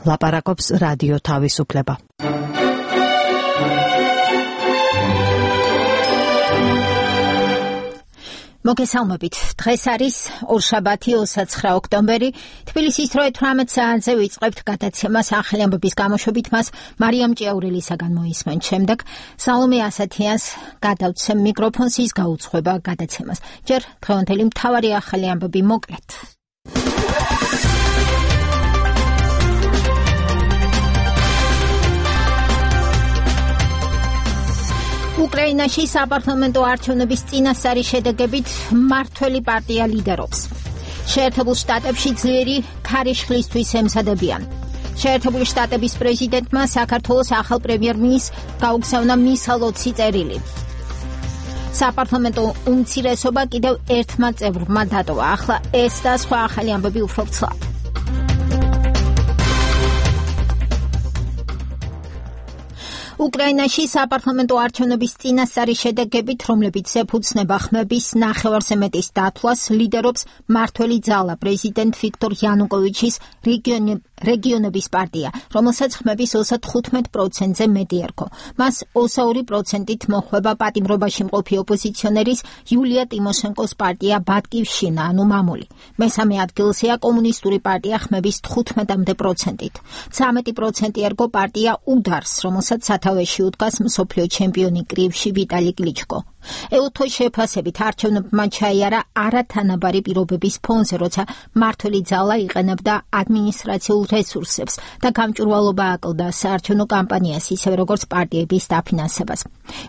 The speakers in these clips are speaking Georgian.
ლაპარაკობს რადიო თავისუფლება. მოგესალმებით. დღეს არის ორშაბათი 29 ოქტომბერი. თბილისის დრო 18 საათზე ვიწყებთ გადაცემას ახალი ამბების გამოშვებით მას მარიამ ჭიაურელისაგან მოისმენთ. შემდეგ სალომე ასათიანს გადავცემ მიკროფონს, ის გაუძღვება გადაცემას. ჯერ დღევანდელი მთავარი ახალი ამბები მოკლედ. უკრაინაში საპარლამენტო არჩევნების წინასწარი შედეგებით მმართველი პარტია ლიდერობს. შეერთებულ შტატებში ძლიერი ქარიშხლისთვის ემზადებიან. შეერთებული შტატების პრეზიდენტმა საქართველოს ახალ პრემიერ-მინისტრს გაუგზავნა მისა ლოცი წერილი. საპარლამენტო უმცირესობა კიდევ ერთმა წევრმა დატოვა. ახლა ეს და სხვა ახალი ამბები უფრო ვრცლად. უკრაინაში საპარლამენტო არჩევნების წინასწარი შედეგებით, რომლებიც ეფუძნება ხმების ნახევარზე მეტის დათვლას, ლიდერობს მმართველი ძალა პრეზიდენტ ვიქტორ იანუკოვიჩის რეგიონების პარტია, რომელსაც ხმების 35%-ზე მეტი ერქვა. მას 22%-ით მოჰყვება პატიმრობაში მყოფი ოპოზიციონერის იულია ტიმოშენკოს პარტია ბატკივშინა, ანუ მამული. მესამე ადგილზეა კომუნისტური პარტია ხმების 15%-ით. 13% ერგო პარტია უდარს, რომელსაც სათავეში უდგას მსოფლიო ჩემპიონი კრივში ვიტალი კლიჩკო. ეუთოს შეფასებით არჩევნებმა ჩაიარა არათანაბარი პირობების ფონზე, როცა მმართველი ძალა იყენებდა ადმინისტრაციულ რესურსებს და გამჭვირვალობა აკლდა საარჩევნო კამპანიას, ისევე როგორც პარტიების დაფინანსებას.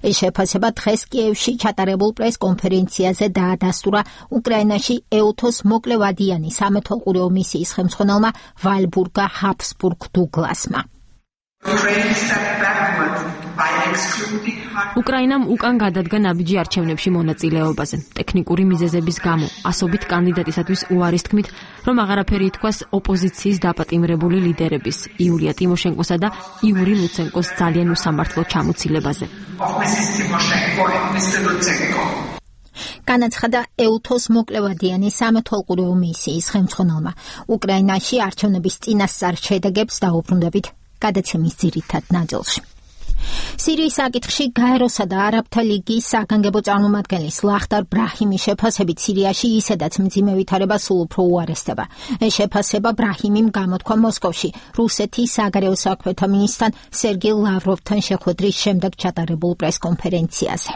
ეს შეფასება დღეს კიევში ჩატარებულ პრეს-კონფერენციაზე დაადასტურა უკრაინაში ეუთოს მოკლევადიანი სამეთვალყურეო მისიის ხელმძღვანელმა ვალბურგა ჰაბსბურგ დუგლასმა. უკრაინამ უკან გადადგა ნაბიჯი არჩევნებში მონაწილეობაზე. ტექნიკური მიზეზების გამო ასობით კანდიდატისათვის უარის თქმით, რომ აღარაფერი ითქვას ოპოზიციის დაპატიმრებული ლიდერების იულია ტიმოშენკოსა და იური ლუცენკოს ძალიან უსამართლო ჩამოცილებაზე. განაცხადა ეუთოს მოკლევადიანი სამეთვალყურეო მისიის ხელმძღვანელმა. უკრაინაში არჩევნების წინასწარ შედეგებს დაუბრუნდებით გადაცემის ძირითად ნაწილში. სირიის საკითხში გაეროსა და არაბთა ლიგის საგანგებო წარმომადგენლის ლახტარ ბრაჰიმის შეფასებით სირიაში ისედაც მძიმე ვითარება სულ უფრო უარესდება. ეს შეფასება ბრაჰიმიმ გამოთქვა მოსკოვში რუსეთის საგარეო საქმეთა მინისტრთან სერგეი ლავროვთან შეხვედრის შემდეგ ჩატარებულ პრეს-კონფერენციაზე.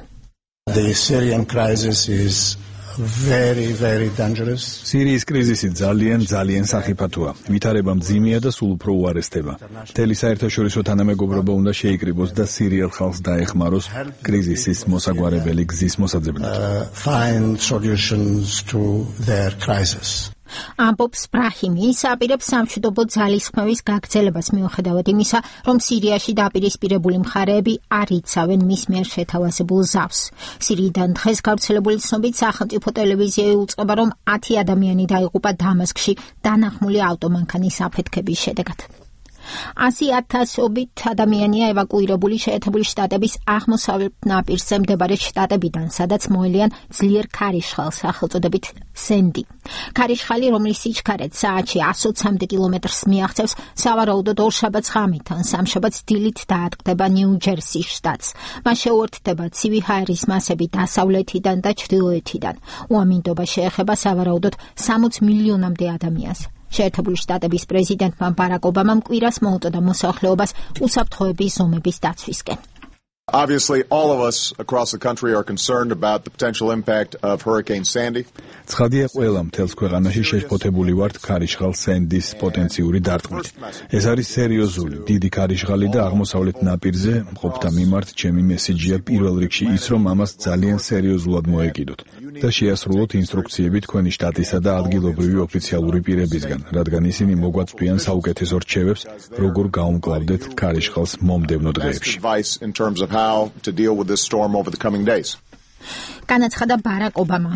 The Syrian crisis is very, very dangerous. სირიის კრიზისი ძალიან სახიფათოა. ვითარება მძიმეა და სულ უფრო უარესდება. მთელი საერთაშორისო თანამეგობრობა უნდა შეიკრიბოს და სირიელ ხალხს დაეხმაროს კრიზისის მოსაგვარებელი გზის მოსაძებნად. Find solutions to their crisis. ამბობს ბრაჰიმი, ის აპირებს სამშვიდობო ძალისხმევის გაგრძელებას მიუხედავად იმისა, რომ სირიაში დაპირისპირებული მხარეები არ იცავენ მის მიერ შეთავაზებულ ზავს. სირიიდან დღეს გავრცელებული ცნობით სახელმწიფო ტელევიზია იუწყება, რომ 10 ადამიანი დაიღუპა დამასკში დანახმული ავტომანქანის აფეთქების შედეგად. 100,000-ობით ადამიანია ევაკუირებული შეერთებული შტატების აღმოსავლეთ ნაპირზე მდებარე შტატებიდან, სადაც მოელიან ძლიერ ქარიშხალს, სახელწოდებით სენდი. ქარიშხალი, რომლის სიჩქარე საათში 120 კილომეტრს მიაღწევს, სავარაუდოდ ორშაბათს ღამით ან სამშაბათს დილით დაატყდება ნიუ-ჯერსის შტატს. მას შეუერთდება ცივი ჰაერის მასები დასავლეთიდან და ჩრდილოეთიდან. უამინდობა შეეხება სავარაუდოდ 60 მილიონამდე ადამიანს. შეერთებული შტატების პრეზიდენტმა ბარაკ ობამამ კვირას მოუწოდა მოსახლეობას უსაფრთხოების ზომების დაცვისკენ. Obviously, all of us across the country are concerned about the potential impact of Hurricane Sandy. ცხადია, ყველა მთელს ქვეყანაში შეშფოთებული ვართ ქარიშხალ სენდის პოტენციური დარტყმით. ეს არის სერიოზული, დიდი ქარიშხალი და აღმოსავლეთ ნაპირზე მყოფთა მიმართ ჩემი მესიჯია პირველ რიგში ის, რომ ამას ძალიან სერიოზულად მოეკიდოთ და შეასრულოთ ინსტრუქციები თქვენი შტატისა და ადგილობრივი ოფიციალური პირებისგან, რადგან ისინი მოგვაწვდიან საუკეთესო რჩევებს, როგორ გაუმკლავდეთ ქარიშხალს მომდევნო დღეებში. To deal with this storm over the coming days. განაცხადა ბარაკ ობამა.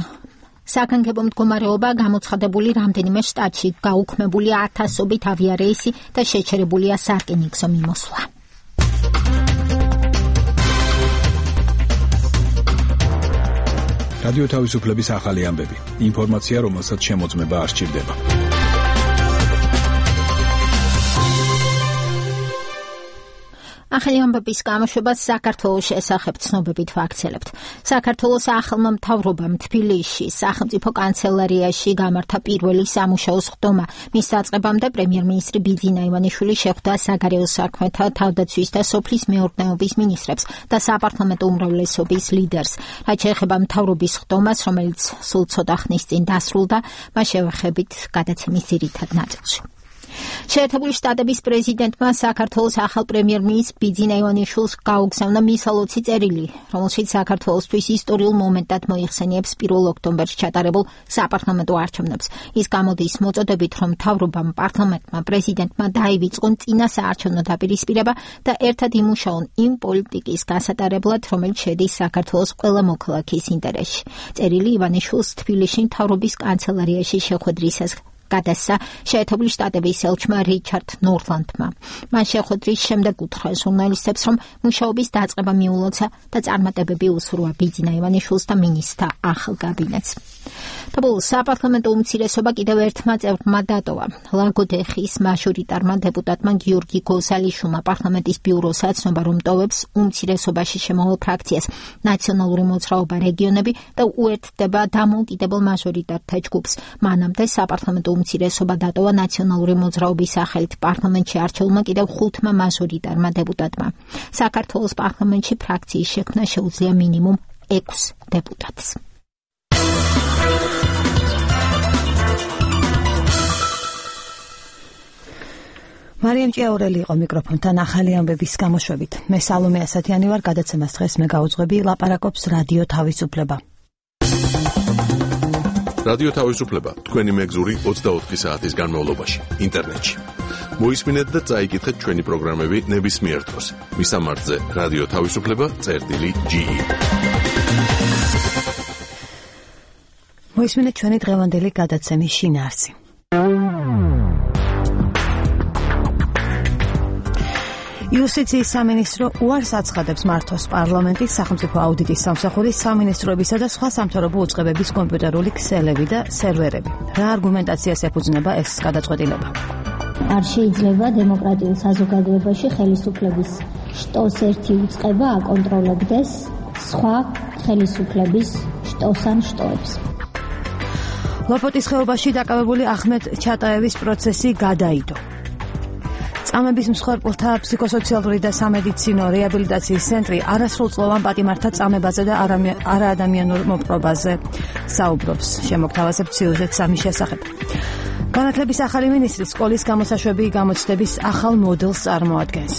საგანგებო მდგომარეობა გამოცხადებული რამდენიმე შტატში, გაუქმებულია 1000-ობით ავიარეისი და შეჩერებულია სარკინიგზო მიმოსვლა. რადიო თავისუფლების ახალი ამბები. ინფორმაცია, რომელსაც შემოწმება არ სჭირდება. ახალი ამბების გამოშვებას საქართველოს შესახებ ცნობებით ვაქცელებთ. საქართველოს ახალმა მთავრობამ თბილისში სახელმწიფო კანცელარიაში გამართა პირველი სამუშაო სხდომა. მის დაწყებამდე პრემიერ-მინისტრი ბიძინა ივანიშვილი შეხვდა საგარეო საქმეთა, თავდაცვის და სოფლის მეურნეობის მინისტრებს და საპარლამენტო უმრავლესობის ლიდერს. რაც შეეხება მთავრობის სხდომას, რომელიც სულ ცოტა ხნის წინ დასრულდა, მას შევეხებით გადაცემის ძირითად ნაწილში. შეერთებული შტატების პრეზიდენტმა საქართველოს ახალ პრემიერ-მინისტრ ბიძინა ივანიშვილს გაუგზავნა მისალოცი წერილი, რომელშიც საქართველოსთვის ისტორიულ მომენტად მოიხსენიებს 1 ოქტომბერს ჩატარებულ საპარლამენტო არჩევნებს. ის გამოდის მოწოდებით, რომ მთავრობამ, პარლამენტმა, პრეზიდენტმა დაივიწყონ წინა საარჩევნო დაპირისპირება და ერთად იმუშაონ იმ პოლიტიკის გასატარებლად, რომელიც შედის საქართველოს ყველა მოქალაქის ინტერესში. წერილი ივანიშვილს თბილისში მთავრობის კანცელარიაში შეხვედრისას გადასცა შეერთებული შტატების ელჩმა რიჩარდ ნორლანდმა. მან შეხვედრის შემდეგ უთხრა ჟურნალისტებს, რომ მუშაობის დაწყება მიულოცა და წარმატებები უსურვა ბიძინა ივანიშვილს და მინისტრთა ახალ კაბინეტს. თბილისის საპარლამენტო უმცირესობა კიდევ ერთმა წევრმა დატოვა. ლაგოდეხის მაჟორიტარმა დეპუტატმა გიორგი გოზალიშვილმა პარლამენტის ბიუროს აცნობა, რომ ტოვებს უმცირესობაში შემოვალ ფრაქციას ნაციონალური მოძრაობა რეგიონები და უერთდება დამოუკიდებელ მაჟორიტართა ჯგუფს. მანამდე საპარლამენტო უმცირესობა დატოვა ნაციონალური მოძრაობის სახელით პარლამენტში არჩეულმა კიდევ 5 მაჟორიტარმა დეპუტატმა. საქართველოს პარლამენტში ფრაქციის შექმნა შეუძლია მინიმუმ 6 დეპუტატს. მარიამ ჭიაურელი იყო მიკროფონთან ახალი ამბების გამოშვებით. მე სალომე ასათიანი ვარ, გადაცემას დღეს მე გავუძღვები, ლაპარაკობს რადიო თავისუფლება. რადიო თავისუფლება თქვენი მეგზური 24 საათის განმავლობაში ინტერნეტში. მოისმინეთ და წაიკითხეთ ჩვენი პროგრამები ნებისმიერ დროს. მისამართზე რადიო თავისუფლება.ge. მოისმინეთ ჩვენი დღევანდელი გადაცემის შინაარსი. იუსტიციის სამინისტრო უარს აცხადებს მართოს პარლამენტის სახელმწიფო აუდიტის სამსახურის სამინისტროებისა და სხვა სამთავრობო უწყებების კომპიუტერული ქსელები და სერვერები. რა არგუმენტაციას ეფუძნება ეს გადაწყვეტილება? არ შეიძლება დემოკრატიულ საზოგადოებაში ხელისუფლების შტოს ერთი უწყება აკონტროლებდეს სხვა ხელისუფლების შტოს ან შტოებს. ლოპოტის ხეობაში დაკავებული ახმედ ჩატაევის პროცესი გადაიდო. წამების მსხვერპლთა ფსიქოსოციალური და სამედიცინო რეაბილიტაციის ცენტრი არასრულწლოვან პატიმართა წამებაზე და არაადამიანურ მოპყრობაზე საუბრობს. შემოგთავაზებთ სიუჟეტს ამის შესახებ. განათლების ახალი მინისტრი სკოლის გამოსაშვები გამოცდების ახალ მოდელს წარმოადგენს.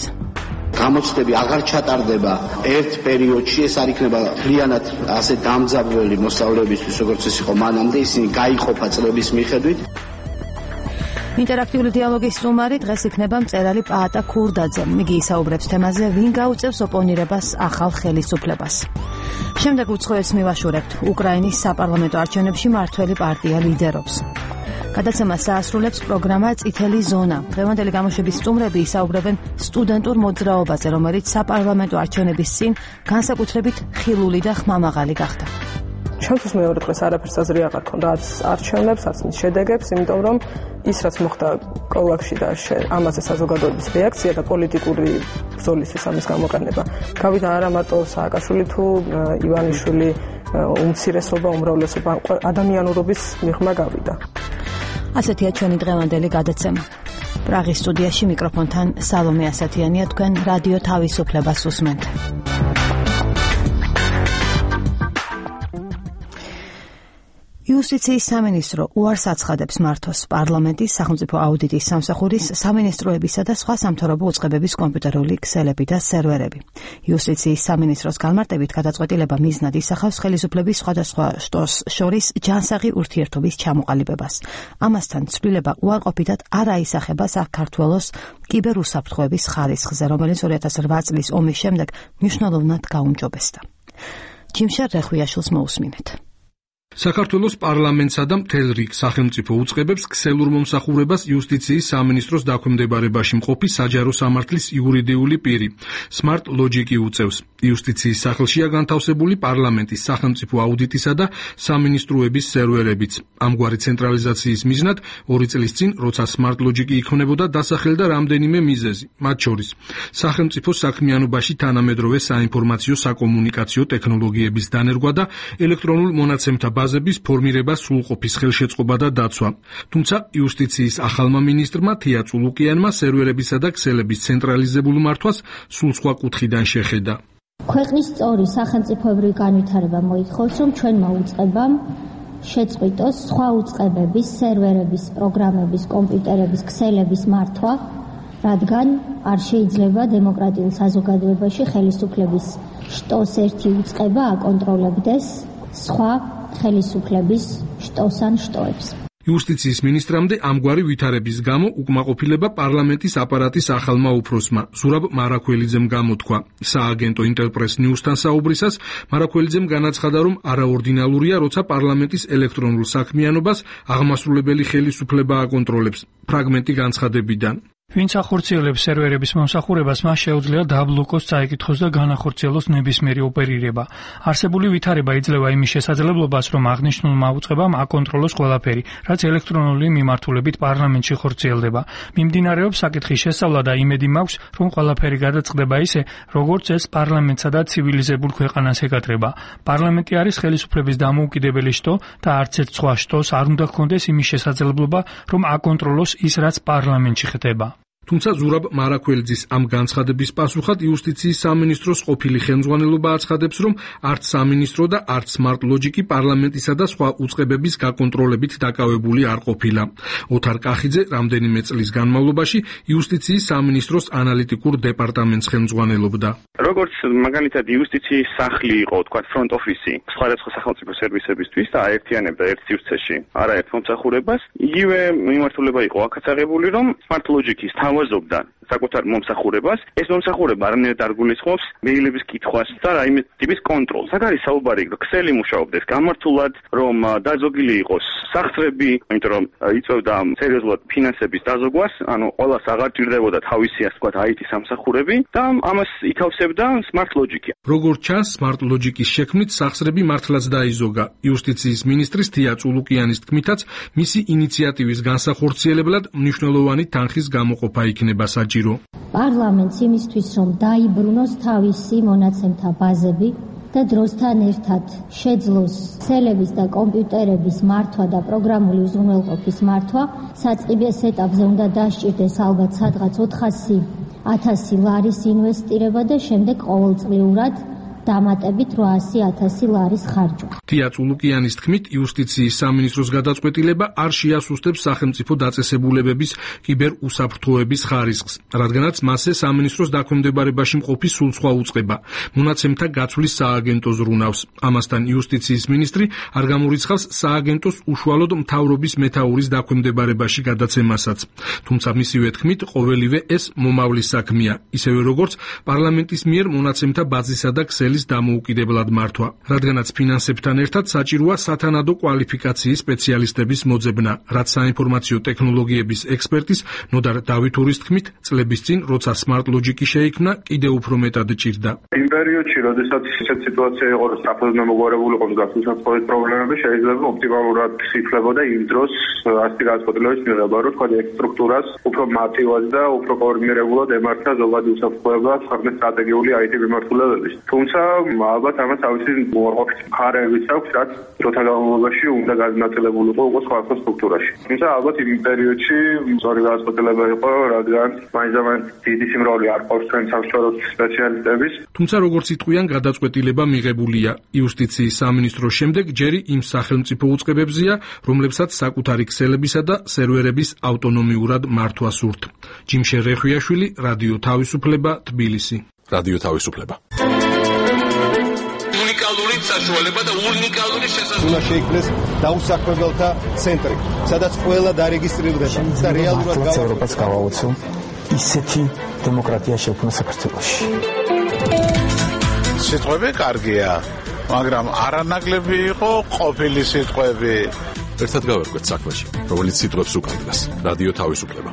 გამოცდები აღარ ჩატარდება ერთ პერიოდში, ეს არ იქნება მთლიანად ასე დამძაბველი მოსწავლეებისთვის, როგორც ეს იყო მანამდე, ისინი გაიყოფა წლების მიხედვით. ინტერაქტიული დიალოგის სტუმარი დღეს იქნება მწერალი პაატა ქურდაძე. იგი ისაუბრებს თემაზე, ვინ გაუწევს ოპონირებას ახალ ხელისუფლებას. შემდეგ უცხოეთს მივაშურებთ. უკრაინის საპარლამენტო არჩევნებში მართველი პარტია ლიდერობს. გადაცემას დაასრულებს პროგრამა წითელი ზონა. დღევანდელი გამოშვების სტუმრები ისაუბრებენ სტუდენტურ მოძრაობაზე, რომელიც საპარლამენტო არჩევნების წინ განსაკუთრებით ხილული და ხმამაღალი გახდა. ჩემთვის მეორე დღეს არაფერს აზრი აღარ ქონდა არც არჩევნებს, არც მის შედეგებს, იმიტომ რომ ის რაც მოხდა კოლაქში და ამაზე საზოგადოების რეაქცია და პოლიტიკური ბრძოლისთვის ამის გამოყენება. გავიდა არა მარტო სააკაშვილი თუ ივანიშვილი, უმცირესობა, უმრავლესობა, ადამიანურობის მიღმა გავიდა. ასეთია ჩვენი დღევანდელი გადაცემა. პრაღის სტუდიაში მიკროფონთან სალომე ასათიანია, თქვენ რადიო თავისუფლებას უსმენთ. იუსტიციის სამინისტრო უარს აცხადებს მართოს პარლამენტის სახელმწიფო აუდიტის სამსახურის სამინისტროებისა და სხვა სამთავრობო უწყებების კომპიუტერული ქსელები და სერვერები. იუსტიციის სამინისტროს განმარტებით გადაწყვეტილება მიზნად ისახავს ხელისუფლების სხვადასხვა შტოს შორის ჯანსაღი ურთიერთობის ჩამოყალიბებას. ამასთან ცვლილება უარყოფითად არ აისახება საქართველოს კიბერუსაფრთხოების ხარისხზე, რომელიც 2008 წლის ომის შემდეგ მნიშვნელოვნად გაუმჯობესდა. ჯიმშარ რეხვიაშვილს მოусმინეთ. საქართველოს პარლამენტსა და მთელ რიგ სახელმწიფო უწყებებს ქსელურ მომსახურებას იუსტიციის სამინისტროს დაქვემდებარებაში მყოფი საჯარო სამართლის იურიდიული პირი Smart Logic-ი უწევს. იუსტიციის სახლშია განთავსებული პარლამენტის სახელმწიფო აუდიტისა და სამინისტროების სერვერებიც. ამგვარი ცენტრალიზაციის მიზნად 2 წლის წინ, როცა Smart Logic-ი იქმნებოდა, დასახელდა რამდენიმე მიზეზი, მათ შორის სახელმწიფო საქმიანობაში თანამედროვე საინფორმაციო საკომუნიკაციო ტექნოლოგიების დანერგვა და ელექტრონულ მონაცემთა ბაზების ფორმირება სრულყოფის ხელშეწყობა და დაცვა. თუმცა იუსტიციის ახალმა მინისტრმა თია წულუკიანმა სერვერებისა და ქსელების ცენტრალიზებულ მართვას სულ სხვა კუთხიდან შეხედა. ქვეყნის სწორი სახელმწიფოებრივი განვითარება მოითხოვს, რომ ჩვენმა უწყებამ შეწყვიტოს სხვა უწყებების, სერვერების, პროგრამების, კომპიუტერების, ქსელების მართვა, რადგან არ შეიძლება დემოკრატიულ საზოგადოებაში ხელისუფლების შტოს ერთი უწყება აკონტროლებდეს სხვა ხელისუფლების შტოს ან შტოებს. იუსტიციის მინისტრამდე ამგვარი ვითარების გამო უკმაყოფილება პარლამენტის აპარატის ახალმა უფროსმა ზურაბ მარაქველიძემ გამოთქვა. სააგენტო ინტერპრეს ნიუსთან საუბრისას მარაქველიძემ განაცხადა, რომ არაორდინალურია, როცა პარლამენტის ელექტრონულ საქმიანობას აღმასრულებელი ხელისუფლება აკონტროლებს. ფრაგმენტი განცხადებიდან. ვინც ახორციელებს სერვერების მომსახურებას, მას შეუძლია დააბლოკოს, წაიკითხოს და განახორციელოს ნებისმიერი ოპერირება. არსებული ვითარება იძლევა იმის შესაძლებლობას, რომ აღნიშნულმა უწყებამ აკონტროლოს ყველაფერი, რაც ელექტრონული მიმართულებით პარლამენტში ხორციელდება. მიმდინარეობს საკითხის შესწავლა და იმედი მაქვს, რომ ყველაფერი გადაწყდება ისე, როგორც ეს პარლამენტსა და ცივილიზებულ ქვეყანას ეკადრება. პარლამენტი არის ხელისუფლების დამოუკიდებელი შტო და არც ერთ სხვა შტოს არ უნდა ჰქონდეს იმის შესაძლებლობა, რომ აკონტროლოს ის, რაც პარლამენტში ხდება. თუმცა ზურაბ მარაქველიძის ამ განცხადების პასუხად იუსტიციის სამინისტროს ყოფილი ხელმძღვანელობა აცხადებს, რომ არც სამინისტრო და არც Smart Logic-ი პარლამენტისა და სხვა უწყებების გაკონტროლებით დაკავებული არ ყოფილა. ოთარ კახიძე რამდენიმე წლის განმავლობაში იუსტიციის სამინისტროს ანალიტიკურ დეპარტამენტს ხელმძღვანელობდა. როგორც მაგალითად იუსტიციის სახლი იყო, თქვათ front office-ი, სხვადასხვა სახელმწიფო სერვისებისთვის და აერთიანებდა ერთ სივრცეში არაერთ მომსახურებას, იგივე მიმართულება იყო აქაც აღებული, რომ Smart Logic-ის თავაზობდა საკუთარ მომსახურებას. ეს მომსახურება არანაირად არ გულისხმობს მეილების კითხვას და რაიმე ტიპის კონტროლს. აქ არის საუბარი, რომ ქსელი მუშაობდეს გამართულად, რომ დაზოგილი იყოს სახსრები, იმიტომ რომ იწევდა სერიოზულად ფინანსების დაზოგვას, ანუ ყველას აღარ ჭირდებოდა თავისი ასე ვთქვათ IT სამსახურები და ამას ითავსებდა Smart Logic-ი. როგორც ჩანს, Smart Logic-ის შექმნით სახსრები მართლაც დაიზოგა. იუსტიციის მინისტრის თია წულუკიანის თქმითაც, მისი ინიციატივის განსახორციელებლად მნიშვნელოვანი თანხის გამოყოფა იქნება საჭირო. პარლამენტს იმისთვის, რომ დაიბრუნოს თავისი მონაცემთა ბაზები და დროსთან ერთად შეძლოს ქსელების და კომპიუტერების მართვა და პროგრამული უზრუნველყოფის მართვა, საწყის ეტაპზე უნდა დასჭირდეს ალბათ სადღაც 400.000 ლარის ინვესტირება და შემდეგ ყოველწლიურად დამატებით 800.000 ლარის ხარჯვა. თია წულუკიანის თქმით, იუსტიციის სამინისტროს გადაწყვეტილება არ შეასუსტებს სახელმწიფო დაწესებულებების კიბერუსაფრთხოების ხარისხს, რადგანაც მასზე სამინისტროს დაქვემდებარებაში მყოფი სულ სხვა უწყება, მონაცემთა გაცვლის სააგენტო ზრუნავს. ამასთან იუსტიციის მინისტრი არ გამორიცხავს სააგენტოს უშუალოდ მთავრობის მეთაურის დაქვემდებარებაში გადაცემასაც. თუმცა მისივე თქმით, ყოველივე ეს მომავლის საქმეა, ისევე როგორც პარლამენტის მიერ მონაცემთა ბაზისა და დამოუკიდებლად მართვა, რადგანაც ფინანსებთან ერთად საჭიროა სათანადო კვალიფიკაციის სპეციალისტების მოძებნა, რაც საინფორმაციო ტექნოლოგიების ექსპერტის ნოდარ დავითურის თქმით, წლების წინ, როცა Smart Logic-ი შეიქმნა, კიდევ უფრო მეტად ჭირდა. იმ პერიოდში, როდესაც ისეთ სიტუაცია იყო, რომ საფუძვლო მოგვარებული იყო გასუსაფრთხოების პრობლემები, შეიძლება ოპტიმალურად იფლებოდა იმ დროს ასეთი განწყობილების მიღება, რომ თქვა ეს სტრუქტურას უფრო მარტივად და უფრო კოორდინირებულად ემართა ზოგადი უსაფრთხოება ქვეყნის სტრატეგიული IT მიმართულებების. თუმცა ალბათ ამას თავისი უარყოფით მხარეებიც აქვს, რაც დროთა განმავლობაში უნდა განაწილებულიყო უკვე სხვა სტრუქტურაში. თუმცა ალბათ იმ პერიოდში სწორი განწყობილება იყო, რადგან მაინც დიდი სიმრავლე არ ყავს ჩვენ სამსჯავროს სპეციალისტების. თუმცა როგორც იტყვიან, გადაწყვეტილება მიღებულია. იუსტიციის სამინისტროს შემდეგ ჯერი იმ სახელმწიფო უწყებებზია, რომლებსაც საკუთარი ქსელებისა და სერვერების ავტონომიურად მართვა სურთ. ჯიმშე რეხვიაშვილი, რადიო თავისუფლება, თბილისი. რადიო თავისუფლება. უნიკალური საშუალება და უნიკალური შესაძლებლობა. უნდა შეიქმნეს დაუსაქმებელთა ცენტრი, სადაც ყველა დარეგისტრირდება და რეალურად ევროპას გავაოცო ისეთი დემოკრატია შექმნა საქართველოში. სიტყვები კარგია, მაგრამ არანაკლები იყო ყოფილი სიტყვები. ერთად გავერკვეთ საქმეში, რომელიც სიტყვებს უკანდგას. რადიო თავისუფლება.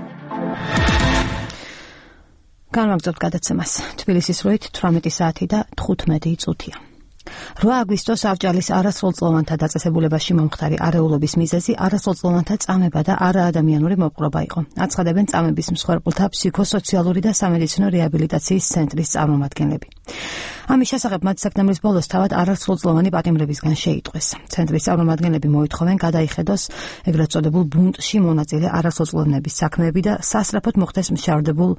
განვაგრძობთ გადაცემას. თბილისის დროით 18 საათი და 15 წუთია. 8 აგვისტოს ავჭალის არასრულწლოვანთა დაწესებულებაში მომხდარი არეულობის მიზეზი არასრულწლოვანთა წამება და არაადამიანური მოპყრობა იყო. აცხადებენ წამების მსხვერპლთა ფსიქოსოციალური და სამედიცინო რეაბილიტაციის ცენტრის წარმომადგენლები. ამის შესახებ მათ სექტემბრის ბოლოს თავად არასრულწლოვანი პატიმრებისგან შეიტყვეს. ცენტრის წარმომადგენლები მოითხოვენ გადაიხედოს ეგრეთ წოდებულ ბუნტში მონაწილე არასრულწლოვანების საქმეები და სასწრაფოდ მოხდეს მშავდებულ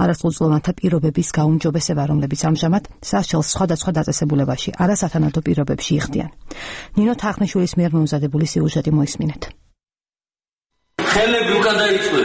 არასრულწლოვანთა პირობების გაუმჯობესება, რომლებიც ამჟამად სასჯელს სხვადასხვა დაწესებულებაში არასათანადო პირობებში იხდიან. ნინო თახნიშვილის მიერ მომზადებული სიუჟეტი მოისმინეთ. ხელები უკან დაიწვე.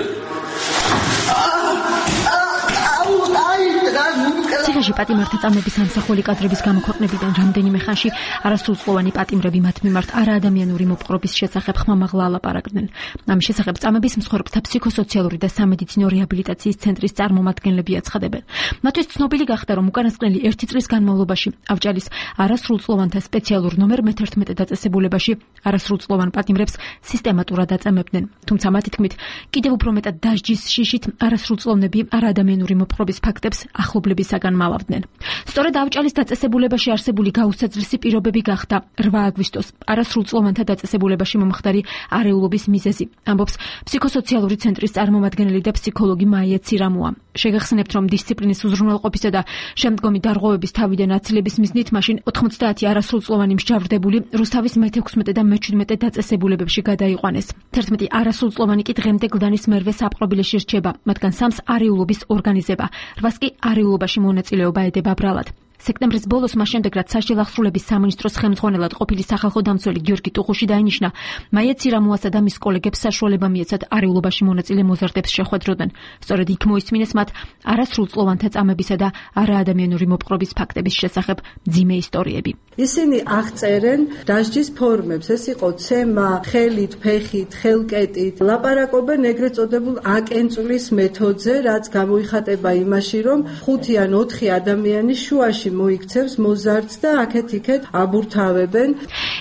ციხეში პატიმართა წამების ამსახველი კადრების გამოქვეყნებიდან რამდენიმე ხანში არასრულწლოვანი პატიმრები მათ მიმართ არაადამიანური მოპყრობის შესახებ ხმამაღლა ალაპარაკდნენ. ამის შესახებ წამების მსხვერპლთა ფსიქოსოციალური და სამედიცინო რეაბილიტაციის ცენტრის წარმომადგენლები აცხადებენ. მათთვის ცნობილი გახდა, რომ უკანასკნელი 1 წლის განმავლობაში ავჭალის არასრულწლოვანთა სპეციალურ ნომერ მე-11 დაწესებულებაში არასრულწლოვან პატიმრებს სისტემატურად აწამებდნენ. თუმცა მათი თქმით, კიდევ უფრო მეტად დასჯის შიშით არასრულწლოვნები არაადამიანური მოპყრობის ფაქტებს ახლობლებისაგან მალავდნენ. სწორედ ავჭალის დაწესებულებაში არსებული გაუსაძლისი პირობები გახდა 8 აგვისტოს არასრულწლოვანთა დაწესებულებაში მომხდარი არეულობის მიზეზი, ამბობს ფსიქოსოციალური ცენტრის წარმომადგენელი და ფსიქოლოგი მაია ცირამუა. შეგახსენებთ, რომ დისციპლინის უზრუნველყოფისა და შემდგომი დარღვევების თავიდან აცილების მიზნით მაშინ 90 არასრულწლოვანი მსჯავრდებული რუსთავის მე-16 და მე-17 დაწესებულებებში გადაიყვანეს. 11 არასრულწლოვანი კი დღემდე გლდანის მერვე საპყრობილეში რჩება, მათგან 3-ს არეულობის ორგანიზება, 8-ს კი არეულობაში მონაწილეობა ედება ბრალად. სექტემბრის ბოლოს მას შემდეგ, რაც სასჯელ ახსრულების სამინისტროს ხელმძღვანელად ყოფილი სახალხო დამცველი გიორგი ტუღუში დაინიშნა, მაია ცირამუასა და მის კოლეგებს საშუალება მიეცათ არეულობაში მონაწილე მოზარდებს შეხვედროდნენ. სწორედ იქ მოისმინეს მათ არასრულწლოვანთა წამებისა და არაადამიანური მოპყრობის ფაქტების შესახებ მძიმე ისტორიები. ისინი აღწერენ დასჯის ფორმებს, ეს იყო ცემა, ხელით, ფეხით, ხელკეტით, ლაპარაკობენ ეგრეთ წოდებულ აკენწulis მეთოდზე, რაც გამოიხატება იმაში, რომ 5 ან 4 ადამიანის შუაში მოიქცევს მოზარდს და აქეთ-იქეთ აბურთავებენ.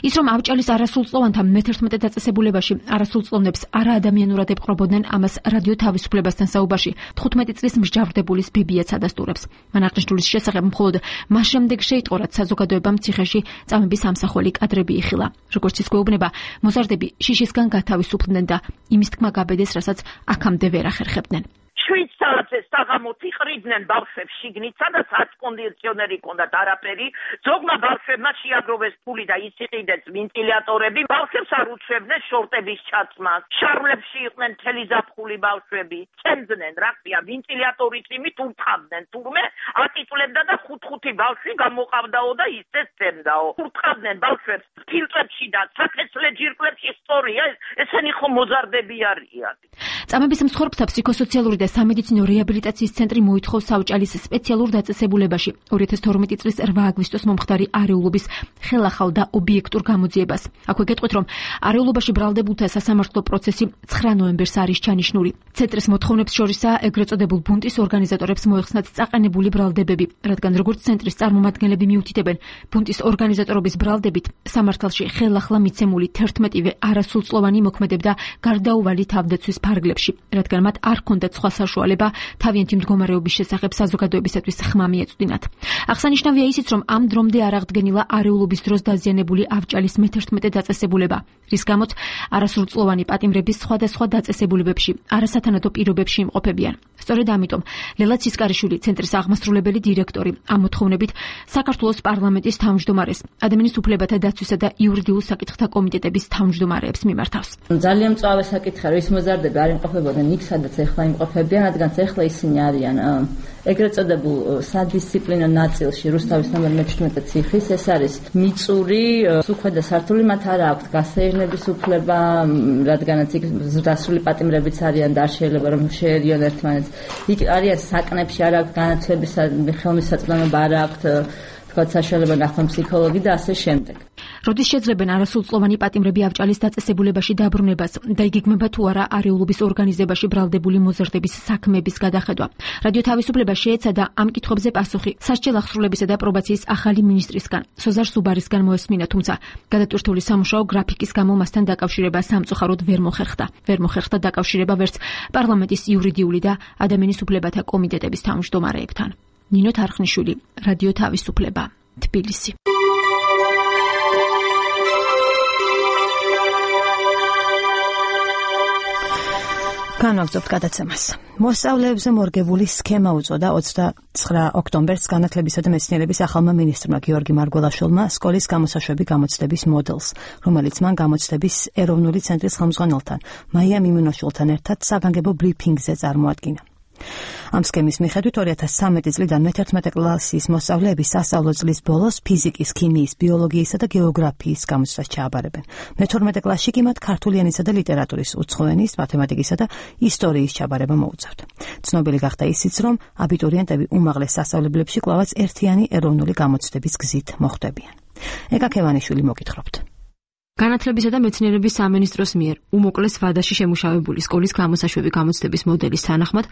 ის რომ ავჭალის არასრულწლოვანთა მე-11 დაწესებულებაში არასრულწლოვნებს არაადამიანურად ეპყრობოდნენ, ამას რადიო თავისუფლებასთან საუბარში 15 წლის მსჯავრდებულის ბებიაც ადასტურებს. მან აღნიშნულის შესახებ მხოლოდ მას შემდეგ შეიტყო, რაც საზოგადოებამ ციხეში წამების ამსახველი კადრები იხილა. როგორც ის გვეუბნება, მოზარდები შიშისგან გათავისუფლდნენ და იმის თქმა გაბედეს, რასაც აქამდე ვერ ახერხებდნენ. 7 საათზე საღამოთ იყრიდნენ ბავშვებს შიგნით, სადაც აკონდიციონერი ჰქონდათ არაფერი, ზოგმა ბავშვებმა შეაგროვეს ფული და ისიყიდეს ვენტილატორები, ბავშვებს არ უჩვევდნენ შორტების ჩაცმას, შარვლებში იყვნენ მთელი ზაფხული ბავშვები, წემდნენ, რა ქვია, ვენტილატორის იმით ურტყავდნენ, თურმე აწიწვლებდა და 5-5 ბავშვი გამოყავდაო და ისე წემდაო. ურტყავდნენ ბავშვებს ფილტრებში და საფესლე ჯირკვლებში, სწორია, ესენი ხო მოზარდები არიან. წამების მსხვერპლთა ფსიქოსოციალური და სამედიცინო რეაბილიტაციის ცენტრი მოითხოვს ავჭალის სპეციალურ დაწესებულებაში 2012 წლის 8 აგვისტოს მომხდარი არეულობის ხელახალ და ობიექტურ გამოძიებას. აქვე გეტყვით, რომ არეულობაში ბრალდებულთა სასამართლო პროცესი 9 ნოემბერს არის ჩანიშნული. ცენტრის მოთხოვნებს შორისაა ეგრეთ წოდებულ ბუნტის ორგანიზატორებს მოეხსნათ წაყენებული ბრალდებები, რადგან როგორც ცენტრის წარმომადგენლები მიუთითებენ, ბუნტის ორგანიზატორობის ბრალდებით სამართალში ხელახლა მიცემული 11-ვე არასრულწლოვანი მოქმედებდა გარდაუვალი თავდაცვის ფარგლებში, რადგან მათ არ ჰქონდათ სხვა საშუალება თავიანთი მდგომარეობის შესახებ საზოგადოებისათვის ხმა მიეწვდინათ. აღსანიშნავია ისიც, რომ ამ დრომდე არ აღდგენილა არეულობის დროს დაზიანებული ავჭალის მე-11 დაწესებულება, რის გამოც არასრულწლოვანი პატიმრების სხვადასხვა დაწესებულებებში არასათანადო პირობებში იმყოფებიან. სწორედ ამიტომ ლელა ცისკარიშვილი, ცენტრის აღმასრულებელი დირექტორი, ამ მოთხოვნებით საქართველოს პარლამენტის თავმჯდომარეს, ადამიანის უფლებათა დაცვისა და იურიდიულ საკითხთა კომიტეტების თავმჯდომარეებს მიმართავს. ძალიან მწვავე საკითხია, რომ ის მოზარდები არ იმყოფებოდნენ იქ, სადაც ეხლა იმყოფებიან, რადგან ეხლა ისინი არიან ეგრეთ წოდებულ სადისციპლინო ნაწილში რუსთავის ნომერ მე-17 ციხის. ეს არის მიწური, უხვედა სართული, მათ არ აქვთ გასეირნების უფლება, რადგანაც იქ დასრული პატიმრებიც არიან და არ შეიძლება რომ შეერიონ ერთმანეთს. იქ არიან საკნებში, არ აქვთ განათლების ხელმისაწვდომობა, არ აქვთ თქვა საშუალება ნახონ ფსიქოლოგი და ასე შემდეგ. როდის შეძლებენ არასრულწლოვანი პატიმრები ავჭალის დაწესებულებაში დაბრუნებას და იგეგმება თუ არა არეულობის ორგანიზებაში ბრალდებული მოზარდების საქმეების გადახედვა. რადიო თავისუფლება შეეცადა ამ კითხვებზე პასუხი სასჯელ აღსრულებისა და პრობაციის ახალი მინისტრისგან, სოზარ სუბარისგან მოესმინა, თუმცა გადატვირთული სამუშაო გრაფიკის გამო მასთან დაკავშირება სამწუხაროდ ვერ მოხერხდა დაკავშირება ვერც პარლამენტის იურიდიული და ადამიანის უფლებათა კომიტეტების თავმჯდომარეებთან. ნინო თარხნიშვილი, რადიო თავისუფლება, თბილისი. განვაგრძობთ გადაცემას. მოსწავლეებზე მორგებული სქემა უწოდა 29 ოქტომბერს განათლებისა და მეცნიერების ახალმა მინისტრმა გიორგი მარგველაშვილმა სკოლის გამოსაშვები გამოცდების მოდელს, რომელიც მან გამოცდების ეროვნული ცენტრის ხელმძღვანელთან მაია მიმინოშვილთან ერთად საგანგებო ბრიფინგზე წარმოადგინა. ამ სქემის მიხედვით 2013 წლიდან მე-11 კლასის მოსწავლეები სასწავლო წლის ბოლოს ფიზიკის, ქიმიის, ბიოლოგიისა და გეოგრაფიის გამოცდას ჩააბარებენ. მე-12 კლასში კი მათ ქართული ენისა და ლიტერატურის, უცხო ენის, მათემატიკისა და ისტორიის ჩაბარება მოუწევთ. ცნობილი გახდა ისიც, რომ აბიტურიენტები უმაღლეს სასწავლებლებში კვლავაც ერთიანი ეროვნული გამოცდების გზით მოხვდებიან. ეკა ქევანიშვილი მოგითხრობთ. განათლებისა და მეცნიერების სამინისტროს მიერ უმოკლეს ვადაში შემუშავებული სკოლის გამოსაშვები გამოცდების მოდელის თანახმად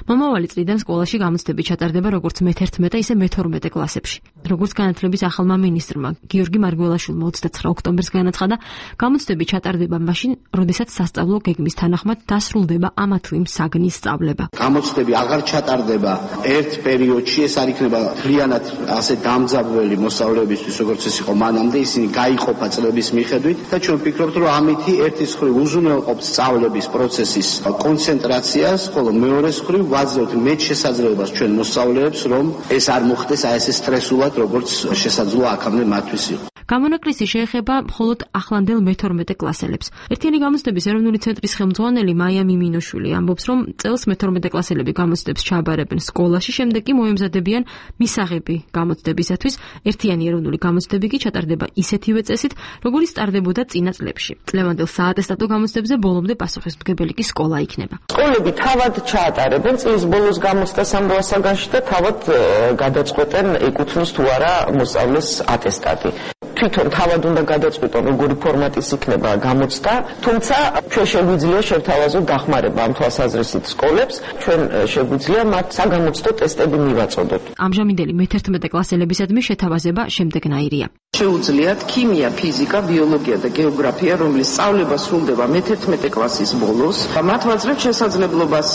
მომავალი წლიდან სკოლაში გამოცდები ჩატარდება როგორც მე-11, ისე მე-12 კლასებში. როგორც განათლების ახალმა მინისტრმა გიორგი მარგველაშვილმა 29 ოქტომბერს განაცხადა, გამოცდები ჩატარდება მაშინ, როდესაც სასწავლო გეგმის თანახმად დასრულდება ამა თუ იმ საგნის სწავლება. გამოცდები აღარ ჩატარდება ერთ პერიოდში, ეს არ იქნება მთლიანად ასე დამძაბველი მოსწავლეებისთვის, როგორც ეს იყო მანამდე, ისინი გაიყოფა წლების მიხედვით. და ჩვენ ვფიქრობთ, რომ ამითი ერთის მხრივ უზრუნველყოფს სწავლების პროცესის კონცენტრაციას, ხოლო მეორეს მხრივ ვაძლევთ მეტ შესაძლებლობას ჩვენ მოსწავლეებს, რომ ეს არ მოხდეს აი ესე სტრესულად, როგორც შესაძლოა აქამდე მათთვის იყო. გამონაკლისი შეეხება მხოლოდ ახლანდელ მე-12 კლასელებს. ერთიანი გამოცდების ეროვნული ცენტრის ხელმძღვანელი მაია მიმინოშვილი ამბობს, რომ წელს მე-12 კლასელები გამოცდებს ჩააბარებენ სკოლაში, შემდეგ კი მოემზადებიან მისაღები გამოცდებისათვის. ერთიანი ეროვნული გამოცდები კი ჩატარდება ისეთივე წესით, როგორიც ტარდებოდა წინა წლებში. წლევანდელ საატესტატო გამოცდებზე ბოლომდე პასუხისმგებელი კი სკოლა იქნება. სკოლები თავად ჩაატარებენ წლის ბოლოს გამოცდას ამ საგანში და თავად გადაწყვეტენ ეკუთვნის თუ არა მოსწავლეს ატესტატი. თვითონ თავად უნდა გადაწყვეტონ როგორი ფორმატის იქნება გამოცდა, თუმცა ჩვენ შეგვიძლია შევთავაზოთ დახმარება ამ თვალსაზრისით სკოლებს, ჩვენ შეგვიძლია მათ საგამოცდო ტესტები მივაწოდოთ. ამჟამინდელი მე-11 კლასელებისადმი შეთავაზება შემდეგნაირია. შეუძლიათ ქიმია, ფიზიკა, ბიოლოგია და გეოგრაფია, რომლის სწავლება სრულდება მე-11 კლასის ბოლოს. მათ ვაძლევთ შესაძლებლობას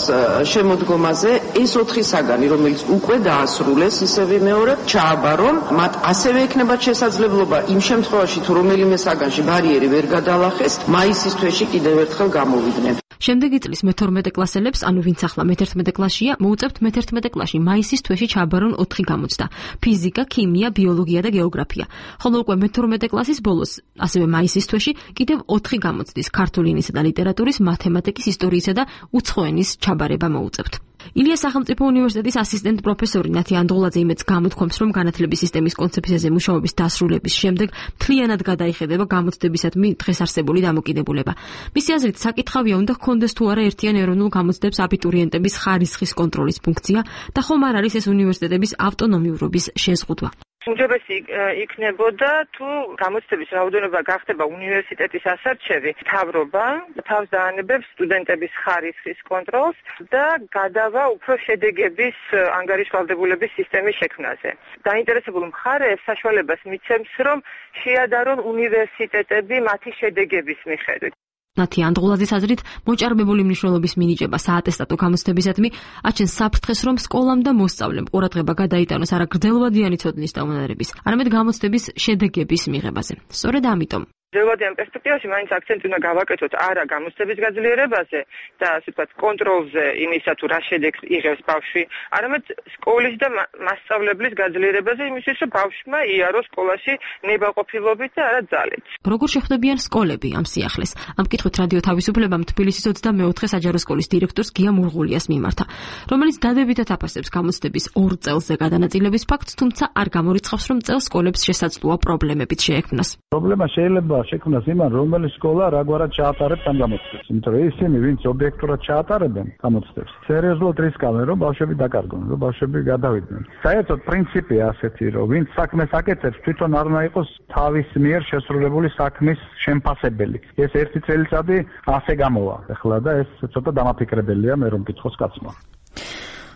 შემოდგომაზე ეს 4 საგანი, რომელიც უკვე დაასრულეს, ისევე მეორე ჩააბარონ, მათ ასევე ექნებათ შესაძლებლობა იმ შემთხვევაში, თუ რომელიმე საგანში ბარიერი ვერ გადალახეს, მაისის თვეში კიდევ ერთხელ გამოვიდნენ. შემდეგი წლის მე-12 კლასელებს, ანუ ვინც ახლა მე-11 კლასშია, მოუწევთ მე-11 კლასში მაისის თვეში ჩააბარონ 4 გამოცდა: ფიზიკა, ქიმია, ბიოლოგია და გეოგრაფია. ხოლო უკვე მე-12 კლასის ბოლოს, ასევე მაისის თვეში, კიდევ 4 გამოცდის: ქართული ენისა და ლიტერატურის, მათემატიკის, ისტორიისა და უცხო ენის ჩაბარება მოუწევთ. ილიას სახელმწიფო უნივერსიტეტის ასისტენტ პროფესორი ნათი ანდღულაძე იმედს გამოთქვამს, რომ განათლების სისტემის კონცეფციაზე მუშაობის დასრულების შემდეგ მთლიანად გადაიხედება გამოცდებისადმი დღეს არსებული დამოკიდებულება. მისი აზრით, საკითხავია უნდა ჰქონდეს თუ არა ერთიან ეროვნულ გამოცდებს აბიტურიენტების ხარისხის კონტროლის ფუნქცია და ხომ არ არის ეს უნივერსიტეტების ავტონომიურობის შეზღუდვა. უმჯობესი იქნებოდა თუ გამოცდების რაოდენობა გახდება უნივერსიტეტის ასარჩევი, მთავრობა თავს დაანებებს სტუდენტების ხარისხის კონტროლს და გადავა უფრო შედეგების ანგარიშვალდებულების სისტემის შექმნაზე. დაინტერესებულ მხარეებს საშუალებას მიცემს, რომ შეადარონ უნივერსიტეტები მათი შედეგების მიხედვით. ნათი ანდღულაძის აზრით, მოჭარბებული მნიშვნელობის მინიჭება საატესტატო გამოცდებისადმი აჩენს საფრთხეს, რომ სკოლამ და მოსწავლემ ყურადღება გადაიტანოს არა გრძელვადიანი ცოდნის დაუნარების, არამედ გამოცდების შედეგების მიღებაზე. სწორედ ამიტომ გრძელვადიან პერსპექტივაში მაინც აქცენტი უნდა გავაკეთოთ არა გამოცდების გაძლიერებაზე და ასე ვთქვათ კონტროლზე იმისა თუ რა შედეგს იღებს ბავშვი, არამედ სკოლის და მასწავლებლის გაძლიერებაზე იმისთვის, რომ ბავშვმა იაროს სკოლაში ნებაყოფილობით და არა ძალით. როგორ შეხვდებიან სკოლები ამ სიახლეს? ამ კითხვით რადიო თავისუფლებამ თბილისის 24 საჯარო სკოლის დირექტორს გია მურღულიას მიმართა, რომელიც დადებითად აფასებს გამოცდების 2 წელზე გადანაწილების ფაქტს, თუმცა არ გამორიცხავს, რომ წელს სკოლებს შესაძლოა პრობლემებით შეექმნას. პრობლემა შეიძლება შეცდომა შექმნას იმან, რომელი სკოლა რაგვარად ჩაატარებს ამ გამოცდებს. იმიტომ რომ ისინი, ვინც ობიექტურად ჩაატარებენ გამოცდებს, სერიოზულად რისკავენ, რომ ბავშვები დაკარგონ, რომ ბავშვები გადავიდნენ. საერთოდ პრინციპია ასეთი, რომ ვინც საქმეს აკეთებს, თვითონ არ უნდა იყოს თავის მიერ შესრულებული საქმის შემფასებელი. ეს ერთი წელიწადი ასე გამოვა. ეხლა და ეს ცოტა დამაფიქრებელია მე რომ გითხოს კაცმა.